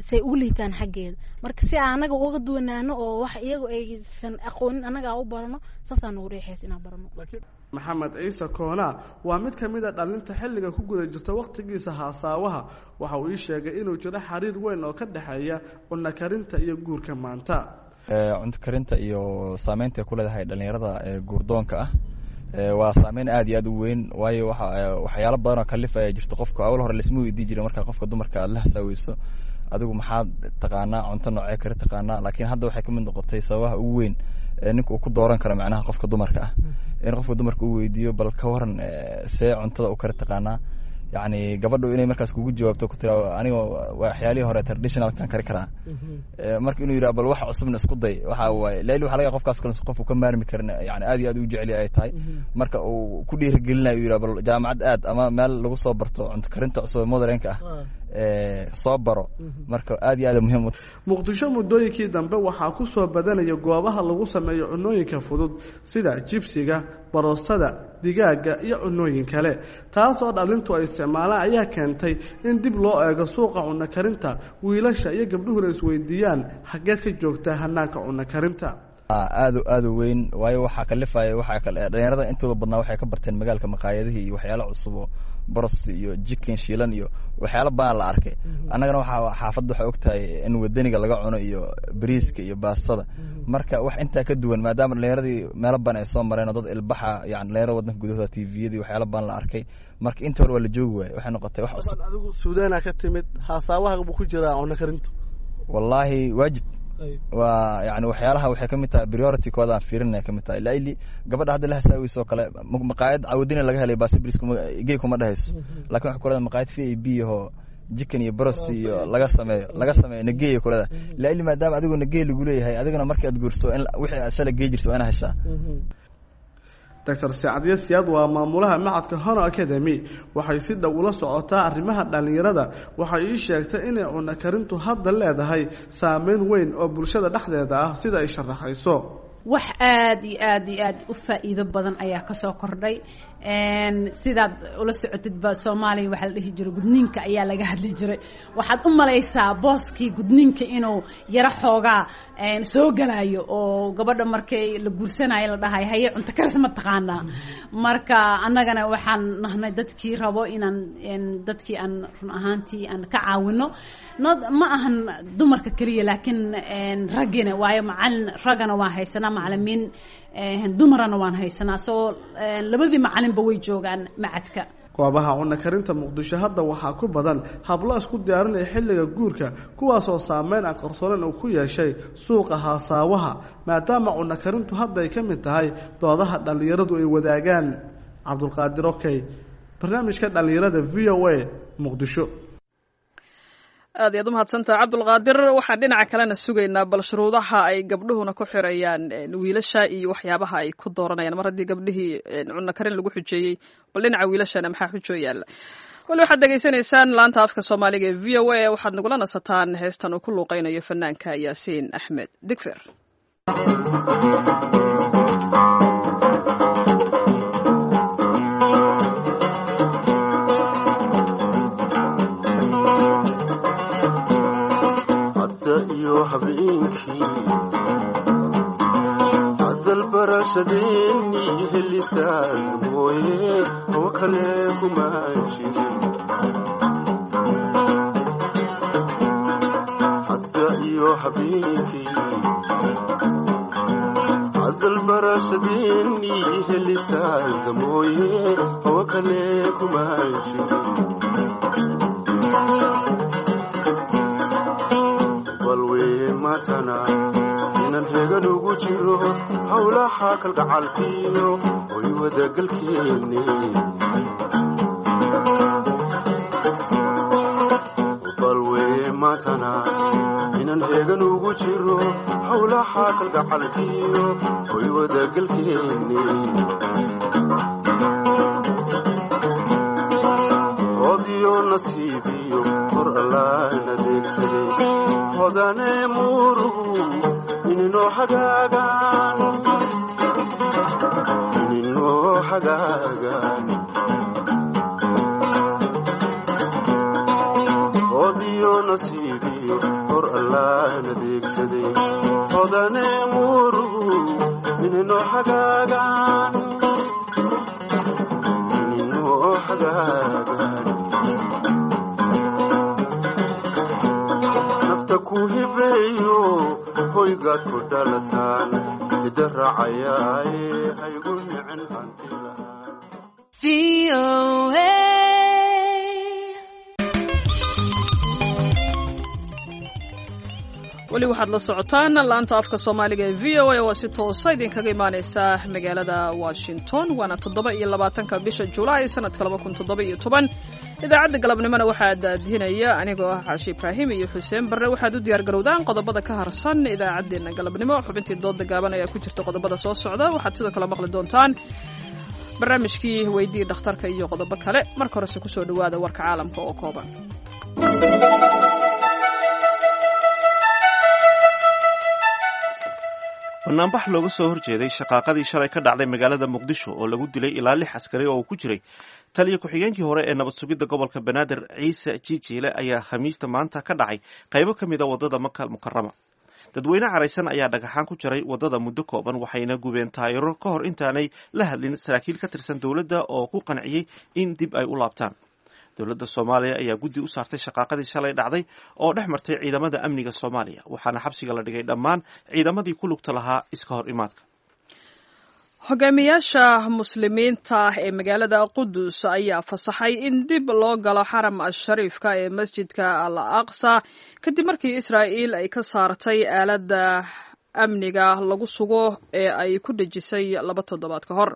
say ugu liitaan xaggeeda. Marka si aan anaga uga duwanaano oo wax iyagu aysan aqoonin anaga aan u barano, saasaa nagu riixaysa inaan barano. Maxamed Ciise Koona waa mid ka mid a dhalinta xilliga ku guda jirta wakhtigiisa haasaawaha. Waxa uu ii sheegay inuu jiro xiriir weyn oo ka dhexeeya cunno karinta iyo guurka maanta. Cunto karinta iyo saameynta ay ku leedahay dhalinyarada guurdoonka ah waa saameyn aad iyo aad u weyn, waayo waxa waxyaalo badan oo kalif ayaa jirta. Qofka awal hore laisma weydiin jiray marka qofka dumarka aad la hasaaweyso, adigu maxaad taqaanaa, cunto noocee kari taqaanaa, laakiin hadda waxay kamid noqotay sababaha ugu weyn ninka uu ku dooran karo macnaha qofka dumarka ah, in qofka dumarka uu weydiiyo bal ka waran see cuntada u kari taqaanaa. Yacni gabadhu inay markaas kugu jawaabto ku tira aniga waxyaalihii hore traditionalkan kari karaa, marka inuu yidhaha bal wax cusubna isku day. Waxa waaye laili waxa laga qofkaas kale qof uu ka maarmi karin, yani aad iyo aad u jecel ay tahay, marka uu ku dhiirigelinayo uu yidhaha bal jaamacad aad ama meel lagu soo barto cunto karinta cusub ee modernka ah soo baro. Marka aad iyo aad muhiim u. Muqdisho muddooyinkii dambe waxaa ku soo badanaya goobaha lagu sameeyo cunooyinka fudud sida jibsiga, baroostada, digaaga iyo cunooyin kale, taasoo dhalintu ay isticmaalaan ayaa keentay in dib loo eego suuqa cunno karinta, wiilasha iyo gabdhuhuna isweydiiyaan xaggeed ka joogtaa hanaanka cunno karinta. Aad aad u weyn, waayo waxaa kalifaya waxaa kale dhalinyarada intooda badnaa waxay ka barteen magaalka maqaayadihii iyo waxyaalo cusub oo boros iyo jikin shiilan iyo waxyaalo badan la arkay. Annagana waxaa xaafadda waxay ogtahay in wadaniga laga cuno iyo bariiska iyo baastada, marka wax intaa ka duwan maadaama dhalinyaradii meelo badan ay soo mareen oo dad ilbaxa, yani dhalinyarada waddanka gudahooda tviyadii waxyaalo badan la arkay, marka inta hore waa la joogi waayey, waxay noqotay wax cusub. Adigu Suudaana ka timid, haasaawahaga buu ku jiraa cunno karintu? Wallaahi waajib waa, yani waxyaalaha waxay kamid tahay priority kooda aan fiirinaya kamid tahay. Laili gabadha hadda la hasaaweyso oo kale maqaayad cawadina laga helay baasi bris kuma gey kuma dhehayso, laakiin waxay kuleedahay maqaayad v a b ahoo jikin iyo boros iyo laga sameeyo laga sameeyo nageeya kuleedahay. Laili maadaama adigu nagey lagu leeyahay, adiguna markii aad guurso in wixii aad shalay gey jirto waa inaa heshaa. Doctor Sacdiye Siyaad waa maamulaha macadka Hono Academy. Waxay si dhow ula socotaa arrimaha dhallinyarada. Waxay ii sheegtay inay cunno karintu hadda leedahay saameyn weyn oo bulshada dhexdeeda ah, sida ay sharaxayso. Wax aada iyo aada iyo aada u faa'iido badan ayaa kasoo kordhay. Sidaad ula socotidba, Soomaaliya waxaa la dhihi jiray gudniinka ayaa laga hadli jiray. Waxaad u malaysaa booskii gudniinka inuu yaro xoogaa soo galayo oo gabadha markay la guursanayo la dhahay haye cunto karis ma taqaanaa. Marka annagana waxaan nahnay dadkii rabo inaan dadkii aan run ahaantii aan ka caawino. Not ma ahan dumarka keliya, laakiin raggina, waayo macalin raggana waan haysanaa, macalimiin dumarana waan haysanaa, soo labadii macalinba way joogaan macadka. Goobaha cunno karinta Muqdisho hadda waxaa ku badan hablo isku diyaarinaya xilliga guurka, kuwaasoo saameyn aan qarsooneyn uu ku yeeshay suuqa haasaawaha, maadaama cunno karintu hadda ay ka mid tahay doodaha dhallinyaradu ay wadaagaan. Cabdulqaadir Okey, barnaamijka dhallinyarada V O A, Muqdisho. Aad iyaad umahadsantaha, Cabdulqaadir. Waxaan dhinaca kalena sugaynaa bal shuruudaha ay gabdhuhuna ku xirayaan wiilasha iyo waxyaabaha ay ku dooranayaan. Mar haddii gabdhihii cunno karin lagu xujeeyey, bal dhinaca wiilashana maxaa xujoo yaalla? Wali waxaad dhegaysanaysaan laanta afka Soomaaliga ee V O A. Waxaad nagula nasataan heestan uu ku luuqeynayo fanaanka Yaasiin Axmed Digfer. Hadalbarashadeennii helistaan mooye hawo kale kuma jirin. Hadda iyo habeenkii hadalbarashadeennii helistaada mooye hawo kale kuma jirin. Balwee maatana inan hegan ugu jiro howlaha kalgacalkiyo oy wadagalkeenne. Balwee maatana inan hegan ugu jiro howlaha kalgacalkiyo oy wadagalkeenne. Hodiyo nasiibiyo hor allaan adeegsaday hodane muuruhu ininoo hagaagaan, ininoo hagaagaan. Hodiyo nasiibiyo hor allaan adeegsaday hodane muuruhu ininoo hagaagaan. Hoygaad ku dhalataan hidda raacayaaye haygu nicin hanti. Weli waxaad la socotaan laanta afka Soomaaliga ee V O A oo si toosa idinkaga imaaneysa magaalada Washington. Waana toddoba iyo labaatanka bisha Julaay sanadka laba kun toddoba iyo toban. Idaacadda galabnimona waxaa daadihinaya anigoo ah Caashi Ibraahim iyo Xuseen Barre. Waxaad u diyaar garowdaan qodobada ka harsan idaacaddeenna galabnimo. Xubintii dooda gaaban ayaa ku jirta qodobada soo socda. Waxaad sidoo kale maqli doontaan barnaamijkii Weydii Dhakhtarka iyo qodobo kale. Marka horese kusoo dhawaada warka caalamka oo kooban. Banaanbax looga soo horjeeday shaqaaqadii shalay ka dhacday magaalada Muqdisho oo lagu dilay ilaa lix askari oo uu ku jiray taliya ku-xigeenkii hore ee nabad sugidda gobolka Banaadir Ciise Jiijiile ayaa Khamiista maanta ka dhacay qaybo ka mid a waddada Maka Mukarama. Dadweyne caraysan ayaa dhagaxaan ku jaray waddada muddo kooban, waxayna gubeen taayiro ka hor intaanay la hadlin saraakiil ka tirsan dowladda oo ku qanciyey in dib ay u laabtaan. Dowladda Soomaaliya ayaa guddi u saartay shaqaaqadii shalay dhacday oo dhex martay ciidamada amniga Soomaaliya, waxaana xabsiga la dhigay dhammaan ciidamadii ku lugta lahaa iska hor imaadka. Hogaamiyaasha muslimiinta ee magaalada Qudus ayaa fasaxay in dib loo galo xaram ashariifka ee masjidka Al Aqsa kadib markii Israa'iil ay ka saartay aaladda amniga lagu sugo ee ay ku dhejisay laba toddobaad ka hor.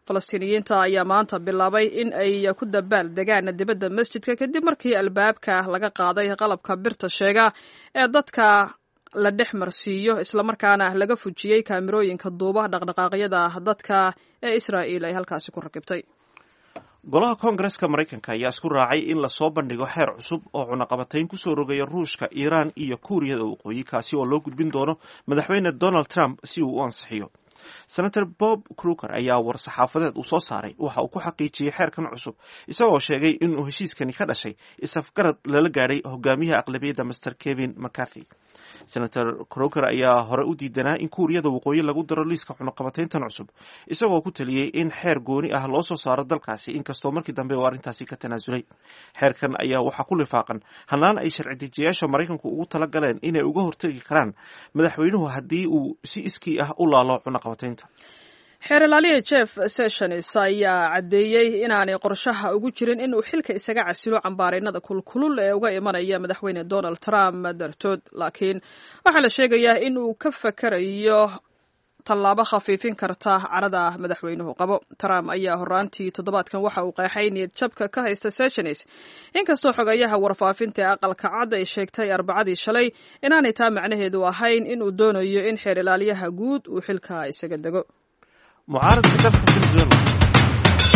Falastiiniyiinta ayaa maanta bilaabay in ay ku dabaal degaan dibadda masjidka kadib markii albaabka laga qaaday qalabka birta sheega ee dadka la dhex marsiiyo, islamarkaana laga fujiyey kaamirooyinka duuba dhaqdhaqaaqyada dadka ee Israa'iil ay halkaasi ku rakibtay. Golaha Koongareska Maraykanka ayaa isku raacay in lasoo bandhigo xeer cusub oo cunaqabatayn kusoo rogaya Ruushka, Iiraan iyo Kuuriyada Waqooyi, kaasi oo loo gudbin doono madaxweyne Donald Trump si uu u ansixiyo. Senator Bob Kruker ayaa war-saxaafadeed uu soo saaray waxa uu ku xaqiijiyey xeerkan cusub, isagoo sheegay inuu heshiiskani ka dhashay isafgarad lala gaadhay hogaamiyaha aqlabiyadda Master Kevin McCarthy. Senator Croker ayaa hore u diidanaa in Kuuriyada Waqooyi lagu daro liiska cunaqabatayntan cusub, isagoo ku taliyey in xeer gooni ah loo soo saaro dalkaasi, inkastoo markii dambe uu arrintaasi ka tanaasulay. Xeerkan ayaa waxaa ku lifaaqan hanaan ay sharci dejiyaasha Maraykanku ugu tala galeen inay uga hortegi karaan madaxweynuhu haddii uu si iskii ah u laalo cunaqabataynta. Xeer ilaaliya Jeff Sessions ayaa caddeeyey inaanay qorshaha ugu jirin inuu xilka isaga casilo cambaaraynada kulkulul ee uga imanaya madaxweyne Donald Trump dartood, laakiin waxaa la sheegayaa in uu ka fakarayo tallaabo khafiifin karta carada madaxweynuhu qabo. Trump ayaa horaantii toddobaadkan waxa uu qeexay niyad jabka ka haysta Sessions, inkastoo xogayaha warfaafinta ee Aqalka Cad ay sheegtay Arbacadii shalay inaanay taa macnaheedu ahayn inuu doonayo in xeer ilaaliyaha guud uu xilka isaga dego. Mucaaradka dalka Venezuela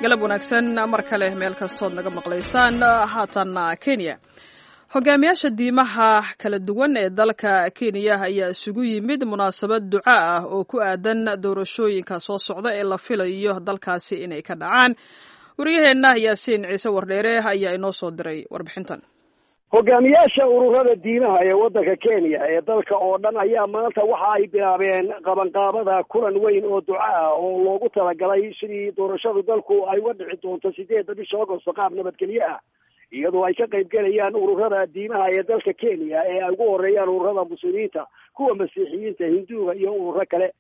Galab wanaagsan mar kale meel kastood naga maqlaysaan. Haatanna Kenya. Hogaamiyaasha diimaha kala duwan ee dalka Kenya ayaa isugu yimid munaasabad duca ah oo ku aadan doorashooyinka soo socda ee la filayo dalkaasi inay ka dhacaan. Wariyaheenna Yaasiin Ciise Wardheere ayaa inoo soo diray warbixintan. Hogaamiyaasha ururada diimaha ee waddanka Kenya ee dalka oo dhan ayaa maanta waxa ay bilaabeen qabanqaabada kulan weyn oo duca ah oo loogu talagalay sidii doorashadu dalku ay uga dhici doonto sideedda bisha Agosto qaab nabadgelyo ah, iyadoo ay ka qaybgelayaan ururada diimaha ee dalka Kenya ee ay ugu horeeyaan ururada Muslimiinta, kuwa Masiixiyiinta, Hinduuga iyo ururo kale.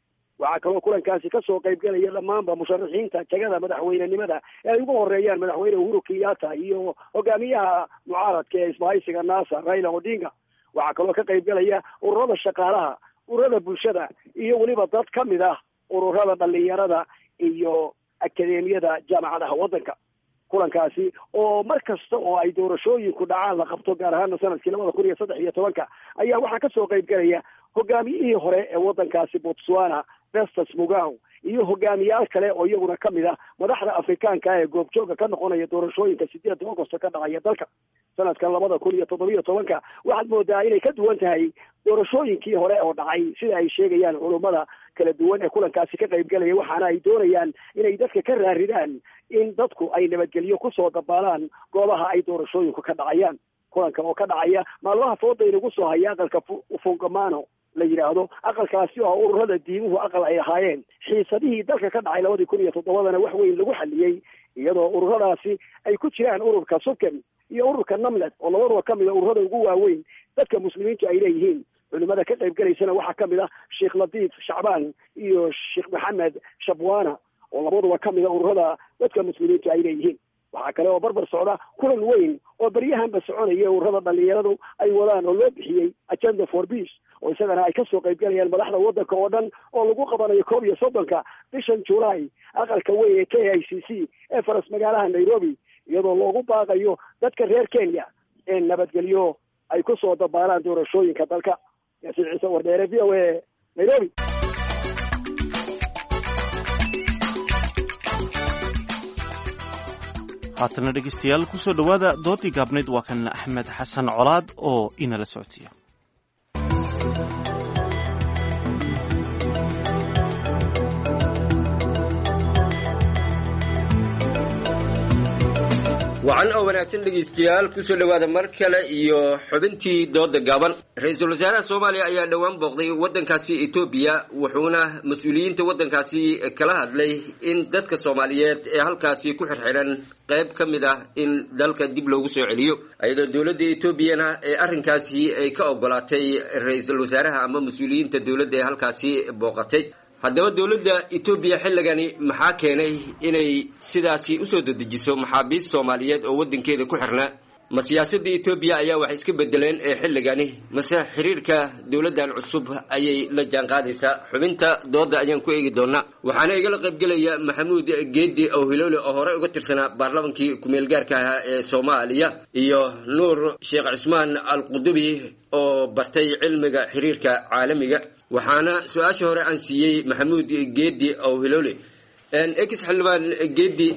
Waxaa kaloo kulankaasi kasoo qaybgelaya dhammaanba musharaxiinta jagada madaxweynenimada ee ay ugu horeeyaan madaxweyne Uhuru Kenyatta iyo hogaamiyaha mucaaradka ee isbahaysiga NASA Raila Odinga. Waxaa kaloo ka qaybgelaya ururada shaqaalaha, ururada bulshada iyo weliba dad ka mid ah ururada dhalinyarada iyo akademiyada jaamacadaha waddanka. Kulankaasi oo mar kasta oo ay doorashooyinku dhacaan la qabto, gaar ahaana sanadkii labada kun iyo saddex iyo tobanka, ayaa waxaa kasoo qaybgelaya hogaamiyihii hore ee waddankaasi Botswana Festus Mugaw iyo hogaamiyaal kale oo iyaguna ka mid ah madaxda Afrikaanka ee goobjooga ka noqonaya doorashooyinka sideedda Agosto ka dhacaya dalka. Sanadkan labada kun iyo toddobiyo tobanka waxaad moodaa inay ka duwan tahay doorashooyinkii hore oo dhacay, sida ay sheegayaan culummada kala duwan ee kulankaasi ka qaybgelaya, waxaana ay doonayaan inay dadka ka raaridaan in dadku ay nabadgelyo kusoo dabaalaan goobaha ay doorashooyinku ka dhacayaan. Kulanka oo ka dhacaya maalmaha fooda inagu soo haya aqalka Fungamano la yidhaahdo. Aqalkaasi oo ururada diimuhu aqal ay ahaayeen xiisadihii dalka ka dhacay labadii kun iyo toddobadana wax weyn lagu xaliyey, iyadoo ururadaasi ay ku jiraan ururka Subkem iyo ururka Namlet oo labaduba ka mid a ururada ugu waaweyn dadka muslimiintu ay leeyihiin. Culimada ka qayb galaysana waxaa ka mid ah Sheekh Latiif Shacbaan iyo Sheekh Maxamed Shabwana oo labaduba ka mid a ururada dadka muslimiintu ay leeyihiin. Waxaa kale oo barbar socda kulan weyn oo beryahanba soconaya ururada dhalinyaradu ay wadaan oo loo bixiyey Agenda for Peace, oo isagana ay kasoo qaybgalayaan madaxda waddanka oo dhan, oo lagu qabanayo koob iyo soddonka bishan Julaay aqalka weyn ee K I C C ee faras magaalaha Nairobi, iyadoo loogu baaqayo dadka reer Kenya in nabadgelyo ay kusoo dabaalaan doorashooyinka dalka. Yaasiin Ciise Wardheere, V O A, Nairobi. Haatana dhegeystayaal, kusoo dhowaada doodii gaabnayd. Waa kan Axmed Xasan Colaad oo inala socodsiiya. Wacan oo wanaagsan dhegaystayaal, kusoo dhowaada mar kale iyo xubintii dooda gaaban. Ra-iisul wasaaraha Soomaaliya ayaa dhowaan booqday waddankaasi Etoobiya, wuxuuna mas-uuliyiinta waddankaasi kala hadlay in dadka Soomaaliyeed ee halkaasi ku xirxiran qayb ka mid ah in dalka dib loogu soo celiyo, iyadoo dowladda Etoobiyana ee arrinkaasi ay ka ogolaatay ra-iisul wasaaraha ama mas-uuliyiinta dowladda ee halkaasi booqatay. Haddaba dowladda Etoobiya xilligani maxaa keenay inay sidaasi usoo dedejiso maxaabiist Soomaaliyeed oo waddankeeda ku xirnaa? Ma siyaasadda Etoobiya ayaa wax iska bedeleen ee xilligani, mase xiriirka dowladdan cusub ayay la jaanqaadaysaa? Xubinta dooda ayaan ku eegi doonaa, waxaana igala qaybgelaya Maxamuud Geedi oo Hiloole oo hore uga tirsanaa baarlamankii ku-meelgaarka ahaa ee Soomaaliya, iyo Nuur Sheekh Cismaan Alqudubi oo bartay cilmiga xiriirka caalamiga. Waxaana su-aasha hore aan siiyey Maxamuud Geedi oo Hiloole. Ex xildhibaan Geedi,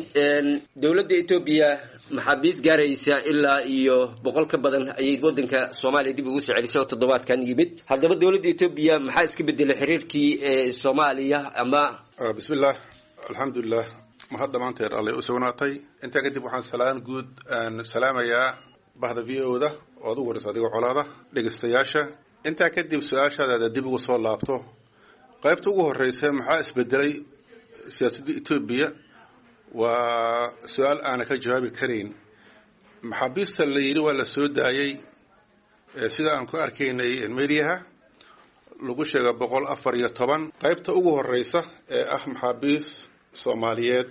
dowladda Etoobiya maxaabiis gaaraysa ilaa iyo boqol ka badan ayay waddanka Soomaaliya dib ugu soo celisay oo toddobaadkan yimid. Haddaba dowladda Etoobiya maxaa iska bedelay xiriirkii Soomaaliya ama? Bismillaah, alxamdulilah, mahad dhammaanteed allay u sugnaatay. Intaa kadib waxaan salaan guud aan salaamayaa bahda V O da oo ad ugu horeysa adigoo Colaada, dhegeystayaasha. Intaa kadib su-aashaadaada dib ugu soo laabto, qaybta ugu horeysa, maxaa isbedelay siyaasadda Etoobiya, waa su-aal aana ka jawaabi karayn. Maxaabiista la yidhi waa la soo daayey, sida aan ku arkaynay mediaha lagu sheega boqol afar iyo toban. Qaybta ugu horeysa ee ah maxaabiis Soomaaliyeed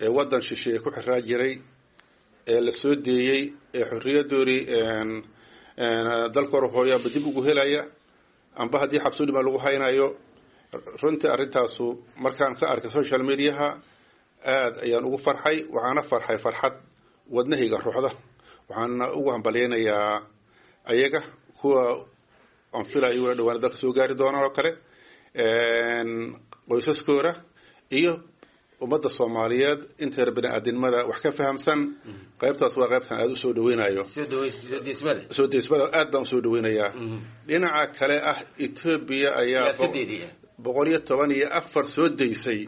ee waddan shisheeye ku xiraa jiray ee la soo deeyey ee xorriyadoodii dalka hore hooyaaba dib ugu helaya, amba haddii xabsuudhima lagu haynayo, runtii arrintaasu markaan ka arkay social mediaha aada ayaan ugu farxay. Waxaana farxay farxad wadnahayga ruuxda, waxaana ugu hambalyaynayaa ayaga kuwa aan filayo wala dhawaana dalka soo gaari doonaan oo kale, qoysaskooda iyo ummadda Soomaaliyeed inteer bini-aadinimada wax ka fahamsan. Qaybtaas waa qaybtan aada usoo dhaweynayo, soo deysmada aad baan usoo dhaweynayaa. Dhinaca kale ah Etoobiya ayaa boqol iyo toban iyo afar soo deysay,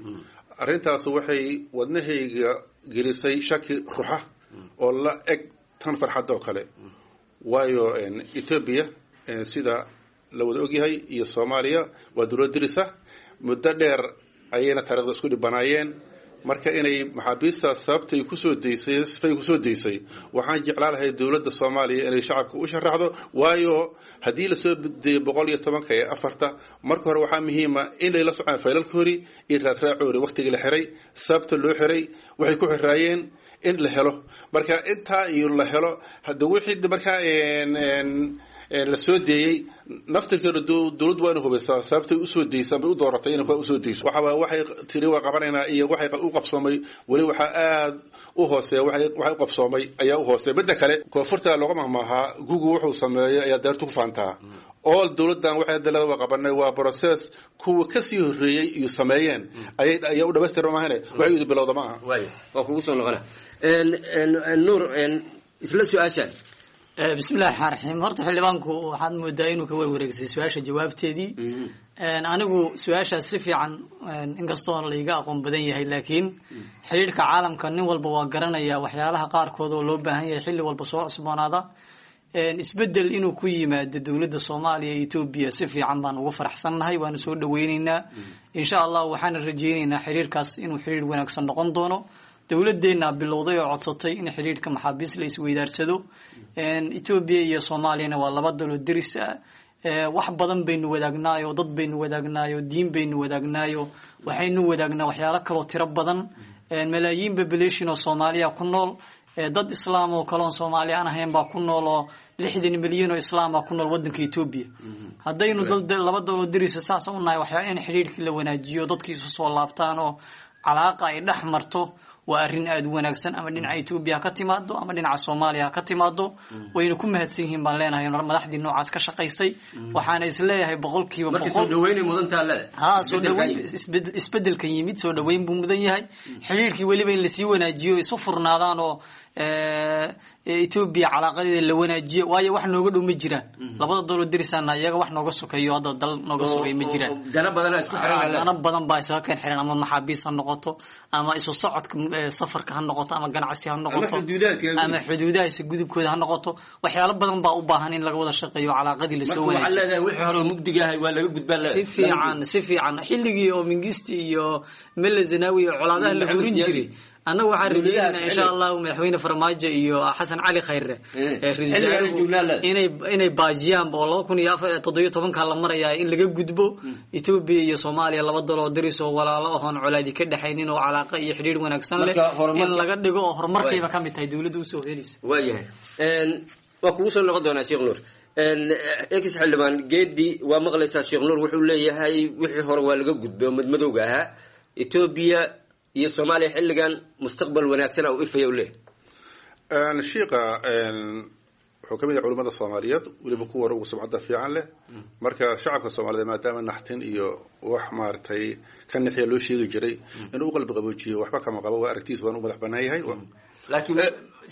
arrintaasu waxay wadnahayga gelisay shaki ruxa oo la eg tan farxad oo kale. Waayo Etoobiya sida la wada ogyahay iyo Soomaaliya waa dowlad dirisa, muddo dheer ayayna taarikhda isku dhibanaayeen. Marka inay maxaabiistaas sababtay kusoo deysay, sifay kusoo deysay, waxaan jeclaan lahay dowladda Soomaaliya inay shacabka u sharaxdo. Waayo haddii lasoo deeyo boqol iyo tobanka iyo afarta, marka hore waxaa muhiima inay la socaan faylalkoori iyo raadraacoori, waqtigii la xiray, sababta loo xiray, waxay ku xiraayeen in la helo. Marka intaa iyo la helo hada wixii markaa la soo deeyey naftirkeeda, dowladdu waa ina hubaysaa sababtay usoo deysaan bay u dooratay inay kuwa usoo deyso. Waxa waxay tiri waa qabanaynaa iyo waxay u qabsoomay weli waxaa aada u hooseeya, waxay waxay u qabsoomay ayaa u hooseeya. Midda kale, koonfurta looga mahmaahaa Google wuxuu sameeyey ayaa deertu ku faantaa oo dowladdan waxay hadda leeda waa qabanay, waa process kuwa kasii horreeyey iyo sameeyeen ayay ayaa u dhamaystirma maahane waxay udu bilowda ma aha. Waa kugu soo noqona Nuur isla su-aashaan. Bismillahi raxmaan raxiim. Horta xildhibaanku waxaad moodaa inuu ka warwareegsay su-aasha jawaabteedii. Anigu su-aashaas si fiican, inkastoo laiga aqoon badan yahay, laakiin xidhiidhka caalamka nin walba waa garanaya waxyaalaha qaarkood oo loo baahan yahay xilli walba soo cusboonaada. Isbedel inuu ku yimaado dowladda Soomaaliya iyo Etoobiya si fiican baan ugu faraxsannahay, waana soo dhaweyneynaa. Insha Allah waxaana rajeyneynaa xiriirkaas inuu xiriir wanaagsan noqon doono. Dowladdeena bilowday oo codsatay in xiriirka maxaabiis la isweydaarsado. Etoobiya iyo Soomaaliyana waa laba dalo deris ah, wax badan baynu wadaagnaayo, dad baynu wadaagnaayo, diin baynu wadaagnaayo, waxaynu wadaagnaa waxyaalo kaloo tiro badan. Malaayiin population oo Soomaaliya ku nool, dad islaam oo kaloon Soomaali aan ahayn baa ku nool, oo lixdan milyan oo islaama ku nool wadanka Etoobiya. Haddaynu dal laba daloo derisa saas u nahay, waxyaa in xiriirkii la wanaajiyo, dadkii isu soo laabtaan oo calaaqa ay dhex marto waa arrin aada u wanaagsan, ama dhinaca Etoobiya ha ka timaado ama dhinaca Soomaaliya ha ka timaado. Wayna ku mahadsan yihiin baan leenahay madaxdii noocaas ka shaqaysay. Waxaana isleeyahay boqolkiiba boqol ha soo dhaweyn isbedelkan yimid, soo dhaweyn buu mudan yahay. Xiriirkii weliba in lasii wanaajiyo, isu furnaadaan oo Etoobiya calaaqadeeda la wanaajiyo, waayo wax nooga dhow ma jiraan. Labada daloo derisaana iyaga wax nooga sokeeyo hadda dal nooga sokeeyo ma jiraan. Dana badan baa isaga keen xiran, ama maxaabiis ha noqoto, ama isu socodka safarka ha noqoto, ama ganacsi ha noqoto, ama xuduudaha isa gudubkooda ha noqoto. Waxyaalo badan baa u baahan in laga wada shaqeeyo, calaaqadii lasoo wanaajiyo. Si fiican, si fiican. Xilligii oo Mingisti iyo Mele Zenawi iyo colaadaha la gurin jiray, annagu waxaan rajeynaynaa insha Allahu madaxweyne Farmaajo iyo Xasan Cali Khayre inay inay baajiyaan oo laba kun iyo afar toddobiyo tobanka la marayaa in laga gudbo. Etoobiya iyo Soomaaliya laba daloo deris oo walaalo ahoon colaadi ka dhexaynin oo calaaqa iyo xidhiir wanaagsan leh in laga dhigo oo horumarkayba ka mid tahay dowladda usoo helaysa. Waayahay, waa kugu soo noqon doonaa Sheekh Nuur. Ex xildhibaan Geedi, waa maqlaysaa Sheekh Nuur wuxuu leeyahay wixii hore waa laga gudbay oo madmadowga ahaa, Etoobiya iyo Soomaaliya xilligan mustaqbal wanaagsan u ifaya u leeyahay. Shiiqa wuxuu kamid yahay culimada Soomaaliyeed, weliba kuwa ugu sumcadda fiican leh. Marka shacabka Soomaaliyeed maadaama naxtin iyo wax maaragtay ka nixiya loo sheegi jiray, inuu u qalbi qaboojiyo waxba kama qabo, waa aragtiis, waan u madax banaan yahay. Laakiin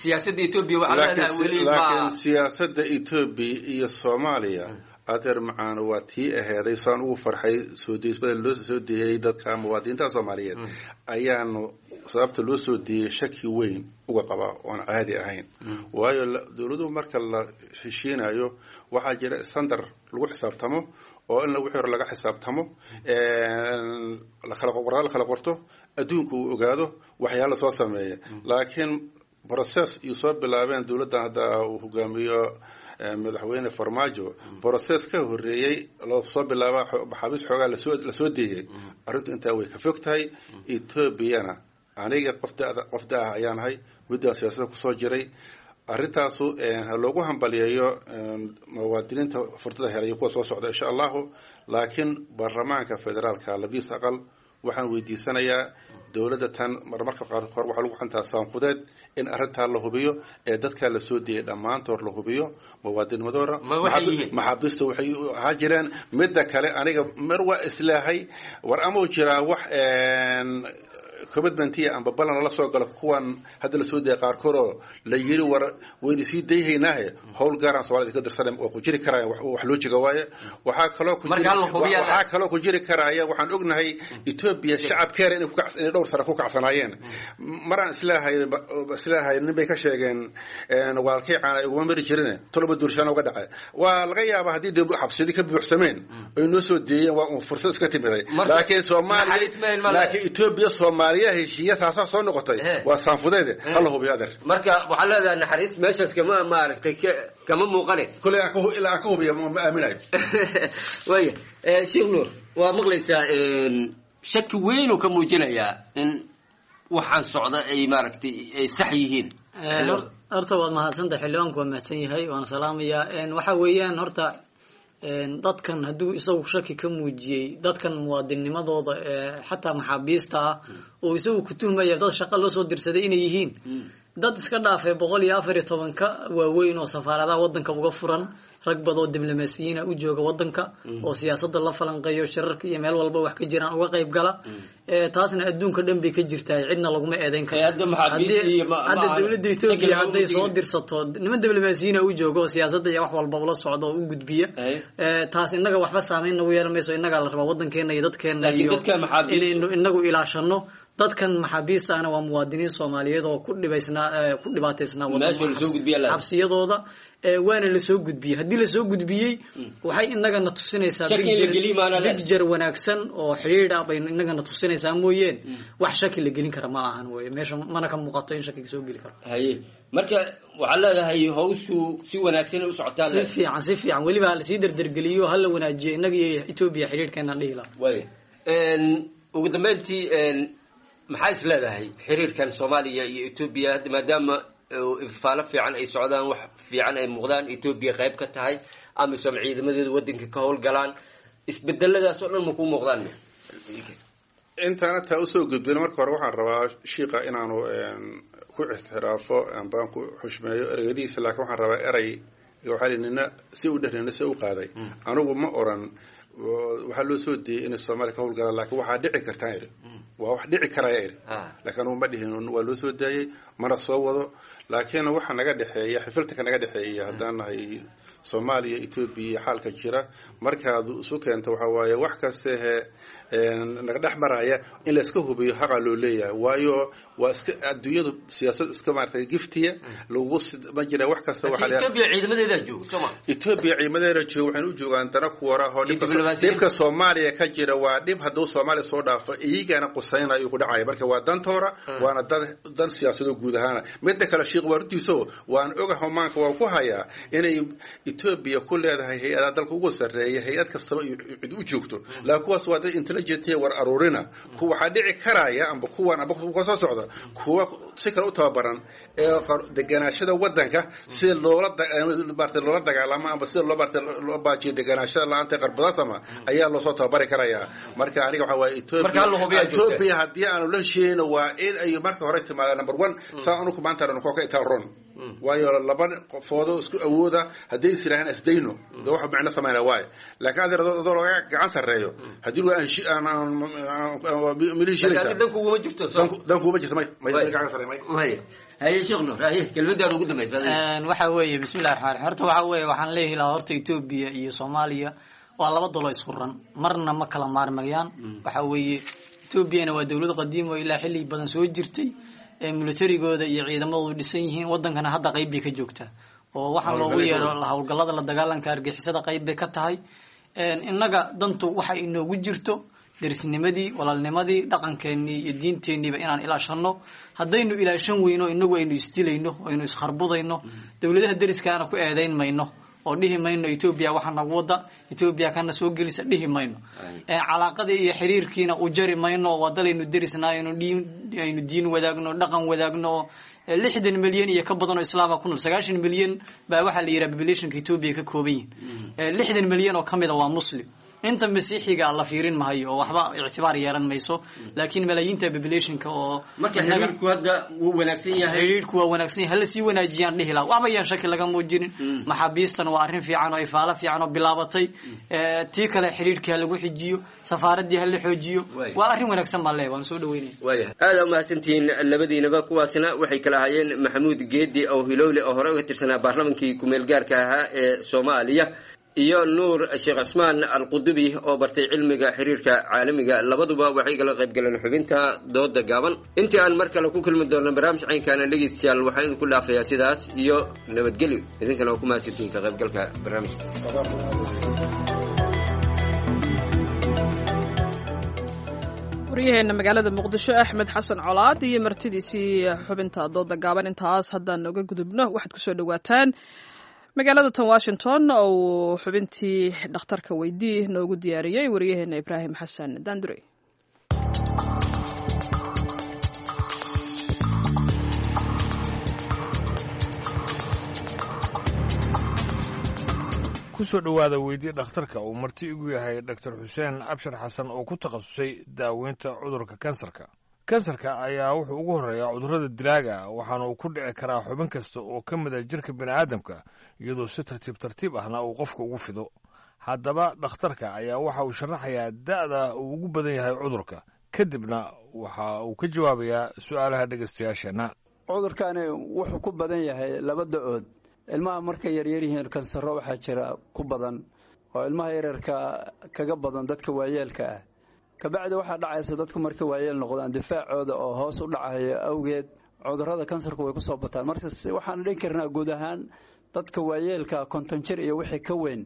siyaasadda Etoobiya waxaa leedahay weli, laakiin siyaasadda Etoobiya iyo Soomaaliya adeer macaano waa tii aheeday saan ugu farxay soo deysmada loo soo deeyay dadka muwaadiniinta Soomaaliyeed, ayaanu sababta loo soo deeyay shaki weyn uga qabaa oon caadi ahayn. Waayo dowladuhu marka la heshiinayo waxaa jira standard lagu xisaabtamo oo in wixii hore laga xisaabtamo, lakala warqad la kala qorto, adduunku uu ogaado waxyaala soo sameeya. Laakiin process iyo soo bilaabeen dowladdan hadda uu hogaamiyo madaxweyne Farmaajo, process ka horeeyey loo soo bilaaba maxaabiis xoogaa lasoo lasoo deeyay, arrintu intaa way ka fog tahay. Etoobiyana aniga qof da- qof da-ah ayaan ahay, muddaa siyaasadda kusoo jiray. Arrintaasu ha loogu hambaliyeeyo muwaadiniinta furtada helay kuwa soo socda insha Allahu. Laakiin baarlamaanka federaalka labiis aqal waxaan weydiisanayaa dowladda tan marmarka qaarkood waxaa lagu xantaa saanfudeed in arrintaa la hubiyo ee dadkaa la soo deeyay dhammaantood la hubiyo muwaadinimadooda, maxaabiista waxay ahaa jireen. Midda kale aniga mar waa islaahay war amau jiraa wax commitmentiya amba ballan lala soo galo kuwan hadda lasoo deeyay qaarkood oo la yiri war waynu sii dayhaynaahe howl gaaraan Soomaalida ka dirsanay waa ku jiri karaya, wax loo jiga waaye. Waxaa kaloo ku waxaa kaloo ku jiri karaya, waxaan ognahay Etoobiya shacabkeeda inay ku inay dhowr sano ku kacsanaayeen. Maraan islaahay islaahay nin bay ka sheegeen walaalkay caana iguma mari jirin toloba duurshaan uga dhacay. Waa laga yaabaa haddii dee xabsiyadii ka buuxsameen ay noo soo deeyeen, waa un fursad iska timiday. Laakiin Soomaaliya, laakiin Etoobiya Soomaaliya heshiiya taasaa soo noqotay waa saanfudeede, hala hubiyo adeer. Marka waxaa leedahay naxariis meeshaas kama maaragtay kama muuqane. Kuley ilaa aan ka hubiya ma aaminayo. Waaya Sheekh Nuur, waa maqlaysaa shaki weyn uu ka muujinayaa in waxaan socda ay maaragtay ay sax yihiin. Horta waad mahadsantahay, xildhibaanku waa mahadsan yahay, waana salaamayaa. Waxa weeyaan horta dadkan hadduu isagu shaki ka muujiyey dadkan muwaadinimadooda xataa maxaabiista ah oo isagu ku tuhmaya dad shaqo loo soo dirsaday inay yihiin, dad iska dhaafay boqol iyo afar iyo tobanka waaweyn oo safaaradaha wadanka uga furan, Rag badoo diblomaasiyiina u jooga wadanka oo siyaasadda la falanqeeyo, shirarka iyo meel walba wax ka jiraan uga qayb gala. Taasna adduunka dhan bay ka jirtaa, cidna laguma eedeyn karo. Hadda dowladda Etoobiya hadday soo dirsato niman diblomaasiyiina u jooga oo siyaasadda iyo wax walba ula socda oo u gudbiya, taas innaga waxba saameyn nagu yeelan mayso. Innagaa la rabaa wadankeena iyo dadkeena iyo inaynu inagu ilaashano. Dadkan maxaabiista ahna waa muwaadiniin Soomaaliyeed oo ku dhibaysnaa, ku dhibaataysnaa xabsiyadooda, waana lasoo gudbiyey. Haddii lasoo gudbiyey, waxay inagana tusinaysaa picture wanaagsan oo xidhiidh ah bay inagana tusinaysaa mooyeen, wax shaki la gelin kara ma ahan wey. Meesha mana ka muuqato in shakiga soo geli karo. Haye, marka waxaad leedahay hawshu si wanaagsan u socotaa? Si fiican, si fiican. Weliba ha lasii derdergeliyo, ha la wanaajiyo innaga iyo Etoobiya xidhiidhkeenaan dhihi lahaa. Way ugu dambeyntii, maxaa is leedahay xiriirkan Soomaaliya iyo Etoobiya hadda, maadaama ifaalo fiican ay socdaan, wax fiican ay muuqdaan, Etoobiya qayb ka tahay AMISOM, ciidamadeeda wadanka ka howlgalaan, isbedeladaas oo dhan ma kuu muuqdaan? Intaana taa usoo gudbin, marka hore waxaan rabaa shiika inaanu ku ixtiraafo ambaan ku xushmeeyo ereyadiisa, laakiin waxaan rabaa erey waxaa li nina si u dheh nina si u qaaday. Anigu ma oran waxaa loo soo diiyey inay Soomaaliya ka howlgalaan, laakiin waxaa dhici kartaan iri, waa wax dhici karaya iri, laakiin anugu ma dhihin waa loo soo daayey, mana soo wado. Laakiin waxa naga dhexeeya, xifiltanka naga dhexeeya haddaan nahay Soomaaliya, Etoobiya, xaalka jira markaad isu keento waxa waaye wax kastehe naga dhex maraya in la iska hubiyo haqa loo leeyahay. Waayo waa iska adduunyadu siyaasad iska maaragtay giftiya lagu ma jira wax kasta. Waxa Etoobiya ciidamadeeda jooga Sooma Etoobiya ciidamadeeda jooga, waxayna u joogaan dana ku wara oo dhibka dhibka Soomaaliya ka jira waa dhib hadduu Soomaaliya soo dhaafo iyagana qusaynayo ku dhacaya. Marka waa dantoora, waana dan dan siyaasadoo guud ahaana. Midda kale, shiikh waa runtiiso, waan ogahay, maanka waan ku hayaa inay Etoobiya ku leedahay hay-adaha dalka ugu sarreeya, hay-ad kastaba cid u joogto, laakiin kuwaas waa dad intelligent war aruurina. Kuwa waxaa dhici karaya amba kuwan amba kuwa soo socda, kuwa si kale u tababaran ee deganaashada wadanka sida loola maarata loola dagaalamo amba sida loo maarata loo baajiyo deganaashada la-aanta qarbadaas ama ayaa loosoo tababari karayaa. Marka aniga waxaa waaye Etoobiya Etoobiya haddii aanu la heshiinayno waa in ay marka hore timaada number one saa anuku maanta aanu ka itaal ron, waayo laba qofoodoo isku awooda hadday is yidhahaan isdayno de waxa micno samayna waayo. Laakiin adeer adoo laga gacan sarreeyo haddii dan kuguma jirto, dan kuguma jirto, may may gacan sarreeyo may. Haye Sheekh Nuur, haye kelmadaada ugu dambaysa. Waxa weeye, bismillahi raxmaan raxiim. Horta waxa weeye waxaan leeyahay lahaa, horta Etoobiya iyo Soomaaliya waa laba dolo isku ran, marna ma kala maarmayaan. Waxa weeye Etoobiyana waa dowlad qadiim oo ilaa xilli badan soo jirtay, militarigooda iyo ciidamadoodu dhisan yihiin, wadankana hadda qayb bay ka joogtaa oo waxaan loogu yeero howlgallada la dagaalanka argixisada qayb bay ka tahay. Innaga dantu waxa inoogu jirto derisnimadii, walaalnimadii, dhaqankeenii iyo diinteenniiba inaan ilaashano. Haddaynu ilaashan weyno, inagu aynu isdilayno, aynu iskharbubayno, dowladaha deriskaana ku eedayn mayno oo dhihi mayno Etoobiya waxaa nagu wada, Etoobiya kana soo gelisa dhihi mayno. Calaaqadii iyo xiriirkiina u jari mayno. Waa dalaynu derisnaa, aynu diin aynu diin wadaagno, dhaqan wadaagno, lixdan milyan iyo ka badan oo islaama ku nool. Sagaashan milyan baa waxaa la yidhaha populationka Etoobiya ka kooban yihin, lixdan milyan oo kamid a waa Muslim. Inta masiixiga la fiirin mahayo oo waxba ictibaar yeelan mayso, laakiin malaayiinta populationka oo Marka xiriirku hadda wuu wanaagsan yahay? Xiriirku waa wanaagsan yahay, hala sii wanaajiyaan dhihi lahaa, waxba yaan shaki laga muujinin. Maxaabiistan waa arrin fiican oo ifaalo fiican oo bilaabatay. Tii kale xiriirkii ha lagu xijiyo, safaaradii ha la xoojiyo, waa arrin wanaagsan baan leeyahay, waan soo dhaweynaya. Waayahay, aada umahadsantihiin labadiinaba. Kuwaasna waxay kala ahaayeen Maxamuud Geedi oo Hilowle oo hore uga tirsanaa baarlamankii kumeel gaarka ahaa ee Soomaaliya iyo Nuur Sheekh Cusmaan Alqudubi oo bartay cilmiga xiriirka caalamiga. Labaduba waxay kala qayb galeen xubinta dooda gaaban. Intii aan mar kale ku kulmi doonno barnaamij caynkaana, dhegeystayaal, waxaan idinku dhaafayaa sidaas iyo nabadgelyo. Idinkana waa ku mahadsantihiin ka qaybgalka barnaamijka. Waryaheena magaalada Muqdisho Axmed Xasan Colaad iyo martidiisii xubinta dooda gaaban intaas haddaan uga gudubno, waxaad kusoo dhawaataan magaalada tan Washington oo uu xubintii dhakhtarka weydii noogu diyaariyey wariyaheena Ibraahim Xasan Dandure. Kusoo dhowaada weydii dhakhtarka uu marti igu yahay Dhaktar Xuseen Abshir Xasan oo ku takhasusay daaweynta cudurka kansarka. Kansarka ayaa wuxuu ugu horreeyaa cudurrada dilaaga, waxaana uu ku dhici karaa xubin kasta oo ka mid a jirka bini'aadamka, iyadoo si tartiib tartiib ahna uu qofka ugu fido. Haddaba dhakhtarka ayaa waxa uu sharaxayaa da'da uu ugu badan yahay cudurka, kadibna waxa uu ka jawaabayaa su'aalaha dhegaystayaasheenna. Cudurkani wuxuu ku badan yahay laba da-ood. Ilmaha markay yaryar yihiin kansaro waxaa jira ku badan oo ilmaha yaryarka kaga badan dadka waayeelka ah. Kabacdi waxaa dhacaysa dadku markay waayeel noqdaan difaacooda oo hoos u dhacayo awgeed cudurrada kansarku way kusoo bataan. Marka waxaan dhihi karnaa guud ahaan dadka waayeelka konton jir iyo wixii ka weyn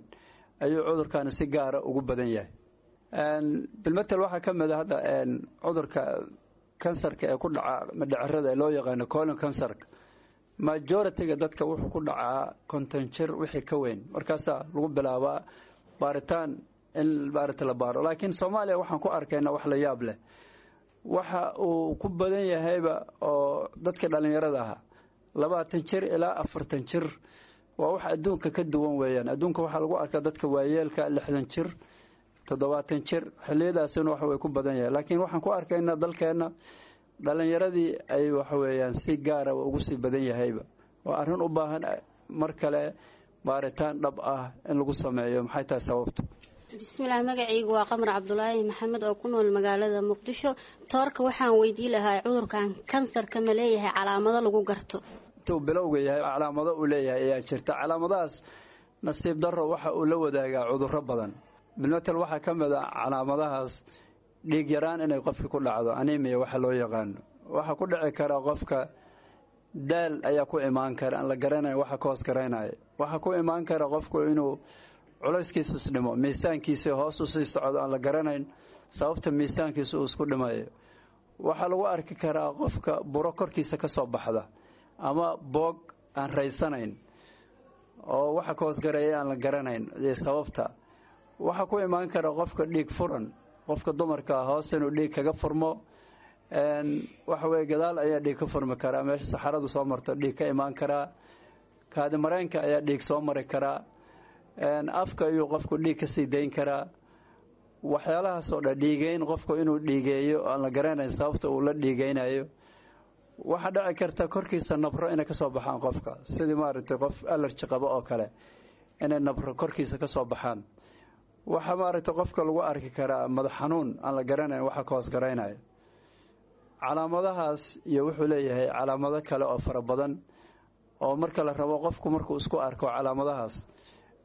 ayuu cudurkani si gaara ugu badan yahay. Bilmatel waxaa ka mid a hadda cudurka kansarka ee ku dhaca madhacerada ee loo yaqaano colon kansarka, majority-ga dadka wuxuu ku dhacaa konton jir wixii ka weyn, markaasaa lagu bilaabaa baaritaan in baarita la baaro. Laakiin Soomaaliya waxaan ku arkaynaa wax la yaab leh, waxa uu ku badan yahayba oo dadka dhallinyarada ahaa labaatan jir ilaa afartan jir. Waa wax adduunka ka duwan weeyaan. Adduunka waxaa lagu arkaa dadka waayeelka lixdan jir, toddobaatan jir, xilliyadaasina wax way ku badan yahay. Laakiin waxaan ku arkaynaa dalkeenna dhallinyaradii ay waxa weeyaan si gaara ugu sii badan yahayba. Waa arrin u baahan mar kale baaritaan dhab ah in lagu sameeyo. Maxay tahay sababtu? Bismillaah, magacaygu waa Qamar Cabdulaahi Maxamed oo ku nool magaalada Muqdisho. Toorka waxaan weydii lahaa cudurkan kansarka ma leeyahay calaamado lagu garto? Intuu bilowga yahay calaamado uu leeyahay ayaa jirta. Calaamadahaas nasiib darro waxa uu la wadaagaa cudurro badan. Bilmatel waxaa ka mid a calaamadahaas dhiig yaraan inay qofka ku dhacdo, anemia waxa loo yaqaano. Waxaa ku dhici kara qofka daal ayaa ku imaan kara aan la garanayn waxa ka hoos garaynaya. Waxaa ku imaan kara qofku inuu culayskiisu isdhimo, miisaankiisa hoos u sii socdo aan la garanayn sababta miisaankiisa uu isku dhimayo. Waxaa lagu arki karaa qofka buro korkiisa ka soo baxda ama boog aan raysanayn oo waxa ka hoos gareeya aan la garanayn sababta. Waxaa ku imaan kara qofka dhiig furan, qofka dumarka hoos inuu dhiig kaga furmo. Waxa weye gadaal ayaa dhiig ka furmi karaa, meesha saxaradu soo marto dhiig ka imaan karaa, kaadi mareenka ayaa dhiig soo mari karaa, afka ayuu qofku dhiig ka sii dayn karaa. Waxyaalahaasoo dhan dhiigeyn, qofku inuu dhiigeeyo aan la garanayn sababta uu la dhiigeynayo. Waxaa dhici karta korkiisa nabro inay ka soo baxaan qofka, sidii maaragtay qof alerji qabo oo kale inay nabro korkiisa ka soo baxaan. Waxaa maaragtay qofka lagu arki karaa madax xanuun aan la garanayn waxa ka hoos garaynayo. Calaamadahaas iyo wuxuu leeyahay calaamado kale oo fara badan oo marka la rabo qofku markuu isku arko calaamadahaas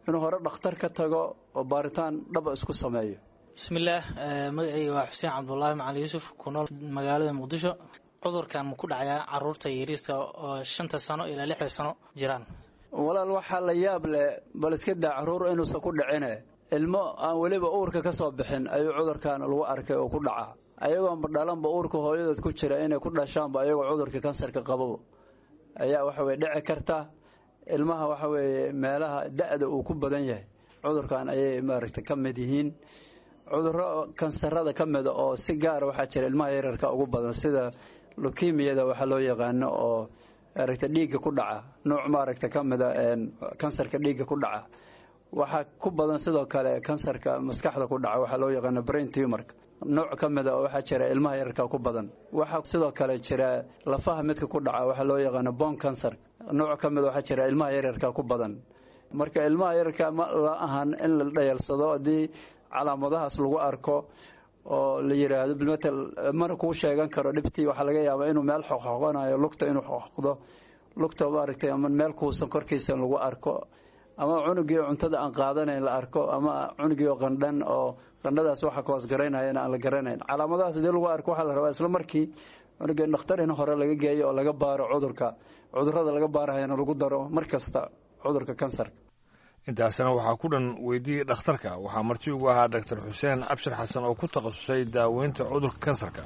inuu hore dhakhtar ka tago oo baaritaan dhaba isku sameeyo. Bismillaah, magacayga waa Xuseen Cabdulaahi Macali Yuusuf, ku nool magaalada Muqdisho. Cudurkan ma ku dhacayaa caruurta yariiska oo shanta sano ilaa lixda sano jiraan? Walaal, waxaa la yaab leh, bal iska daa caruur inuusan ku dhicine, ilmo aan weliba uurka ka soo bixin ayuu cudurkan lagu arkay oo ku dhaca. Ayagoonba dhalanba uurka hooyadood ku jira inay ku dhashaanba ayagoo cudurka kansarka qababa ayaa waxa weye dhici karta. Ilmaha waxa weeye meelaha da'da uu ku badan yahay cudurkan ayay maaragtay ka mid yihiin. Cudurro kansarada ka mida oo si gaara waxaa jira ilmaha yararka ugu badan, sida leukemiyada waxaa loo yaqaano oo maaragtay dhiigga ku dhaca, nooc maaragtay ka mida kansarka dhiigga ku dhaca. Waxaa ku badan sidoo kale kansarka maskaxda ku dhaca, waxaa loo yaqaano brain tumorka, nooc ka mida oo waxaa jira ilmaha yararka ku badan. Waxaa sidoo kale jira lafaha midka ku dhaca, waxaa loo yaqaano bone cancer, nooc ka mida waxaa jira ilmaha yararka ku badan. Marka ilmaha yararka ma la ahan in la dhayalsado haddii calaamadahaas lagu arko oo la yiraahdo bilmatel mana kuu sheegan karo dhibtii. Waxaa laga yaabaa inuu meel xoqxoqonayo, lugta inuu xoqdo, lugta maaragtay ama meel kuusan korkiisa lagu arko, ama cunugii cuntada aan qaadanayn la arko, ama cunugii oo qandhan oo qandhadaas waxa ka hoos garaynayana aan la garanayn. Calaamadahaas hadii lagu arko waxaa la rabaa isla markii cunugii dhakhtar in hore laga geeyo oo laga baaro cudurka, cudurrada laga baarahayana lagu daro mar kasta cudurka kansarka. Intaasina waxaa ku dhan weydiiyey dhakhtarka. Waxaa marti ugu ahaa Doctor Xuseen Cabshir Xasan oo ku takhasusay daaweynta cudurka kansarka.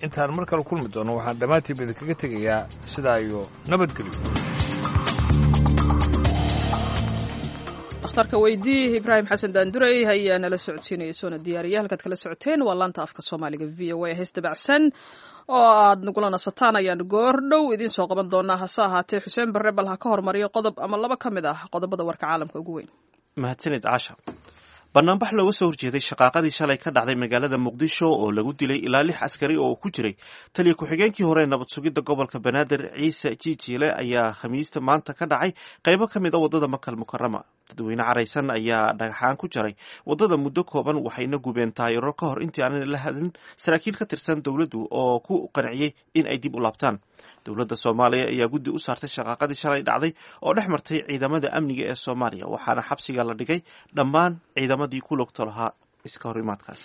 Intaan mar kale kulmi doono waxaan dhammaantiinba idinkaga tegayaa sidaa iyo nabadgelyo. Dhakhtarka weydii Ibraahim Xasan Daandurey ayaa nala socodsiinaya soona diyaariya. Halkaad kala socoteen waa laanta afka Soomaaliga V O A. Hees dabacsan oo aad nagula nasataan ayaan goor dhow idiin soo qaban doonaa. Hase ahaatee Xuseen Barre bal ha ka hormariyo qodob ama laba ka mid ah qodobada warka caalamka ugu weyn. Mahadsanid Caasha. Banaanbax looga soo horjeeday shaqaaqadii shalay ka dhacday magaalada Muqdisho oo lagu dilay ilaa lix askari oo ku jiray taliya ku-xigeenkii hore ee nabad sugidda gobolka Banaadir Ciise Jiijiile ayaa Khamiista maanta ka dhacay qaybo ka mid a waddada Makal Mukarama. Dadweyne caraysan ayaa dhagxaan ku jaray waddada muddo kooban, waxayna gubeen taayiro ka hor intii aanan la hadlin saraakiil ka tirsan dowladdu oo ku qanciyey in ay dib u laabtaan. Dowladda Soomaaliya ayaa guddi u saartay shaqaaqadii shalay dhacday oo dhex martay ciidamada amniga ee Soomaaliya, waxaana xabsiga la dhigay dhammaan ciidamadii ku lugta lahaa iska horimaadkaas.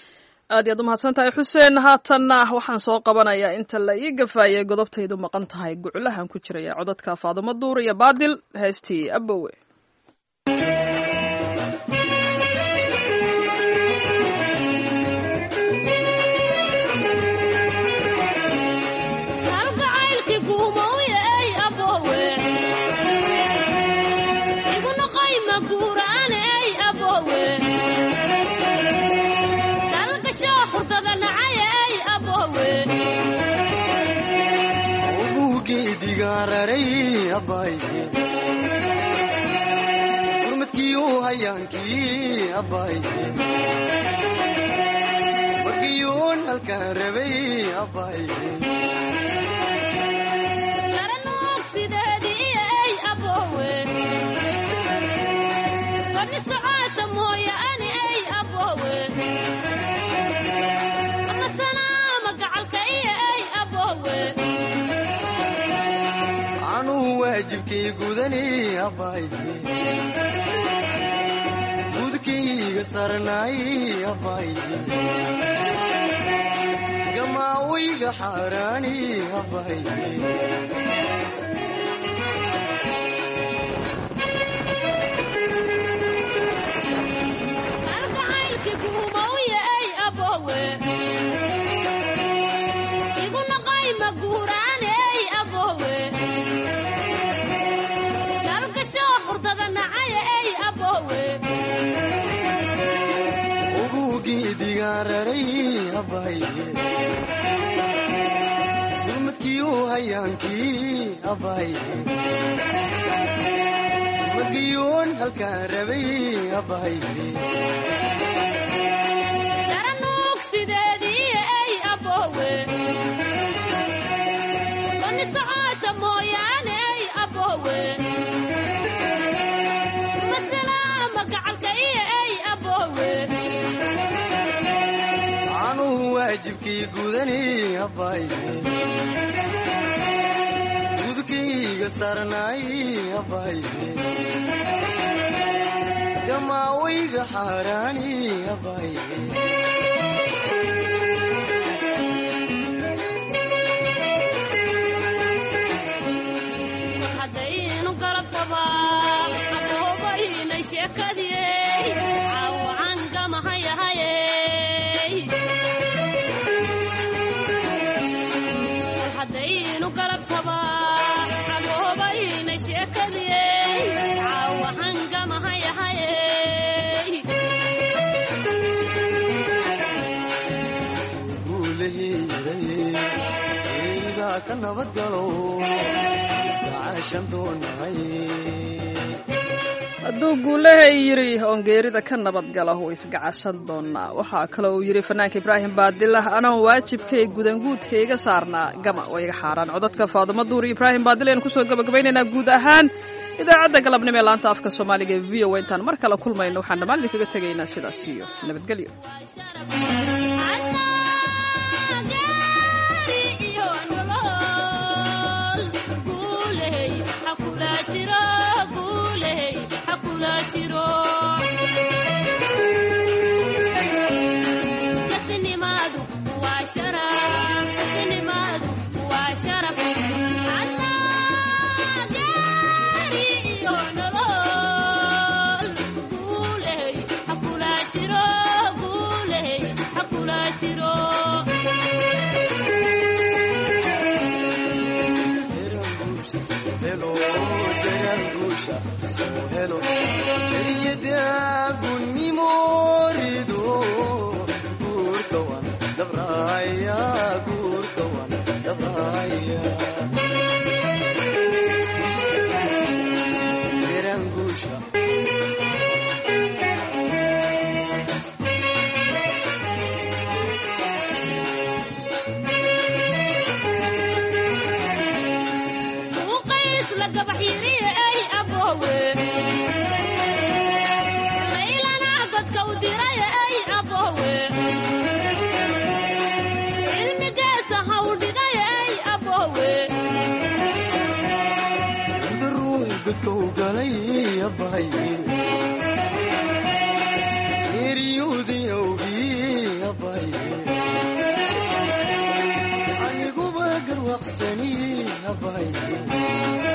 Aad iyaad umahadsan tahay, Xuseen. Haatanna waxaan soo qabanayaa inta la ii gafaayay godobtaydu maqan tahay guclahan ku jiraya codadka Faadumo Duur iyo Baadil, heestii Abowe. Gurmadkii u hayaankii abbaaye, markiyuun halkaan rabay abbaaye. Waajibkay gudani abbaaye, gudkayga sarnaay abbaaye, gamaawayga xaaraani abbaaye. Gurmadkii u hayaankii abbaaye, markiyuun halkaan rabay abbaaye. Waajibkii gudani abbaaye, gudkayga sarnaay abbaaye, gamaawayga xaaraani abbaaye. Ka Hadduu guulahay yidhi oon geerida ka nabadgala wuu isgacashan doonaa. Waxaa kale uu yidhi fanaanka Ibraahim Baadilah, anoon waajibkay gudanguudka iga saarnaa gama oo iga xaaraan. Codadka Faadumo Duur iyo Ibraahim Baadil ayaan kusoo gabagabaynaynaa guud ahaan idaacadda galabnimo ee laanta afka Soomaaliga ee V O A. Intaan mar kale kulmayno waxaan dhammaan idinkaga tegaynaa sidaas iyo nabadgelyo. Guurka. Gabax yiri ay abowe, laylana godka u diray ay abowe, cilmigaasa haw dhigay ay abowe. Daruux godka u galay abaye, geeriyuudii awgii abaye, aniguba garwaaqsani abaye.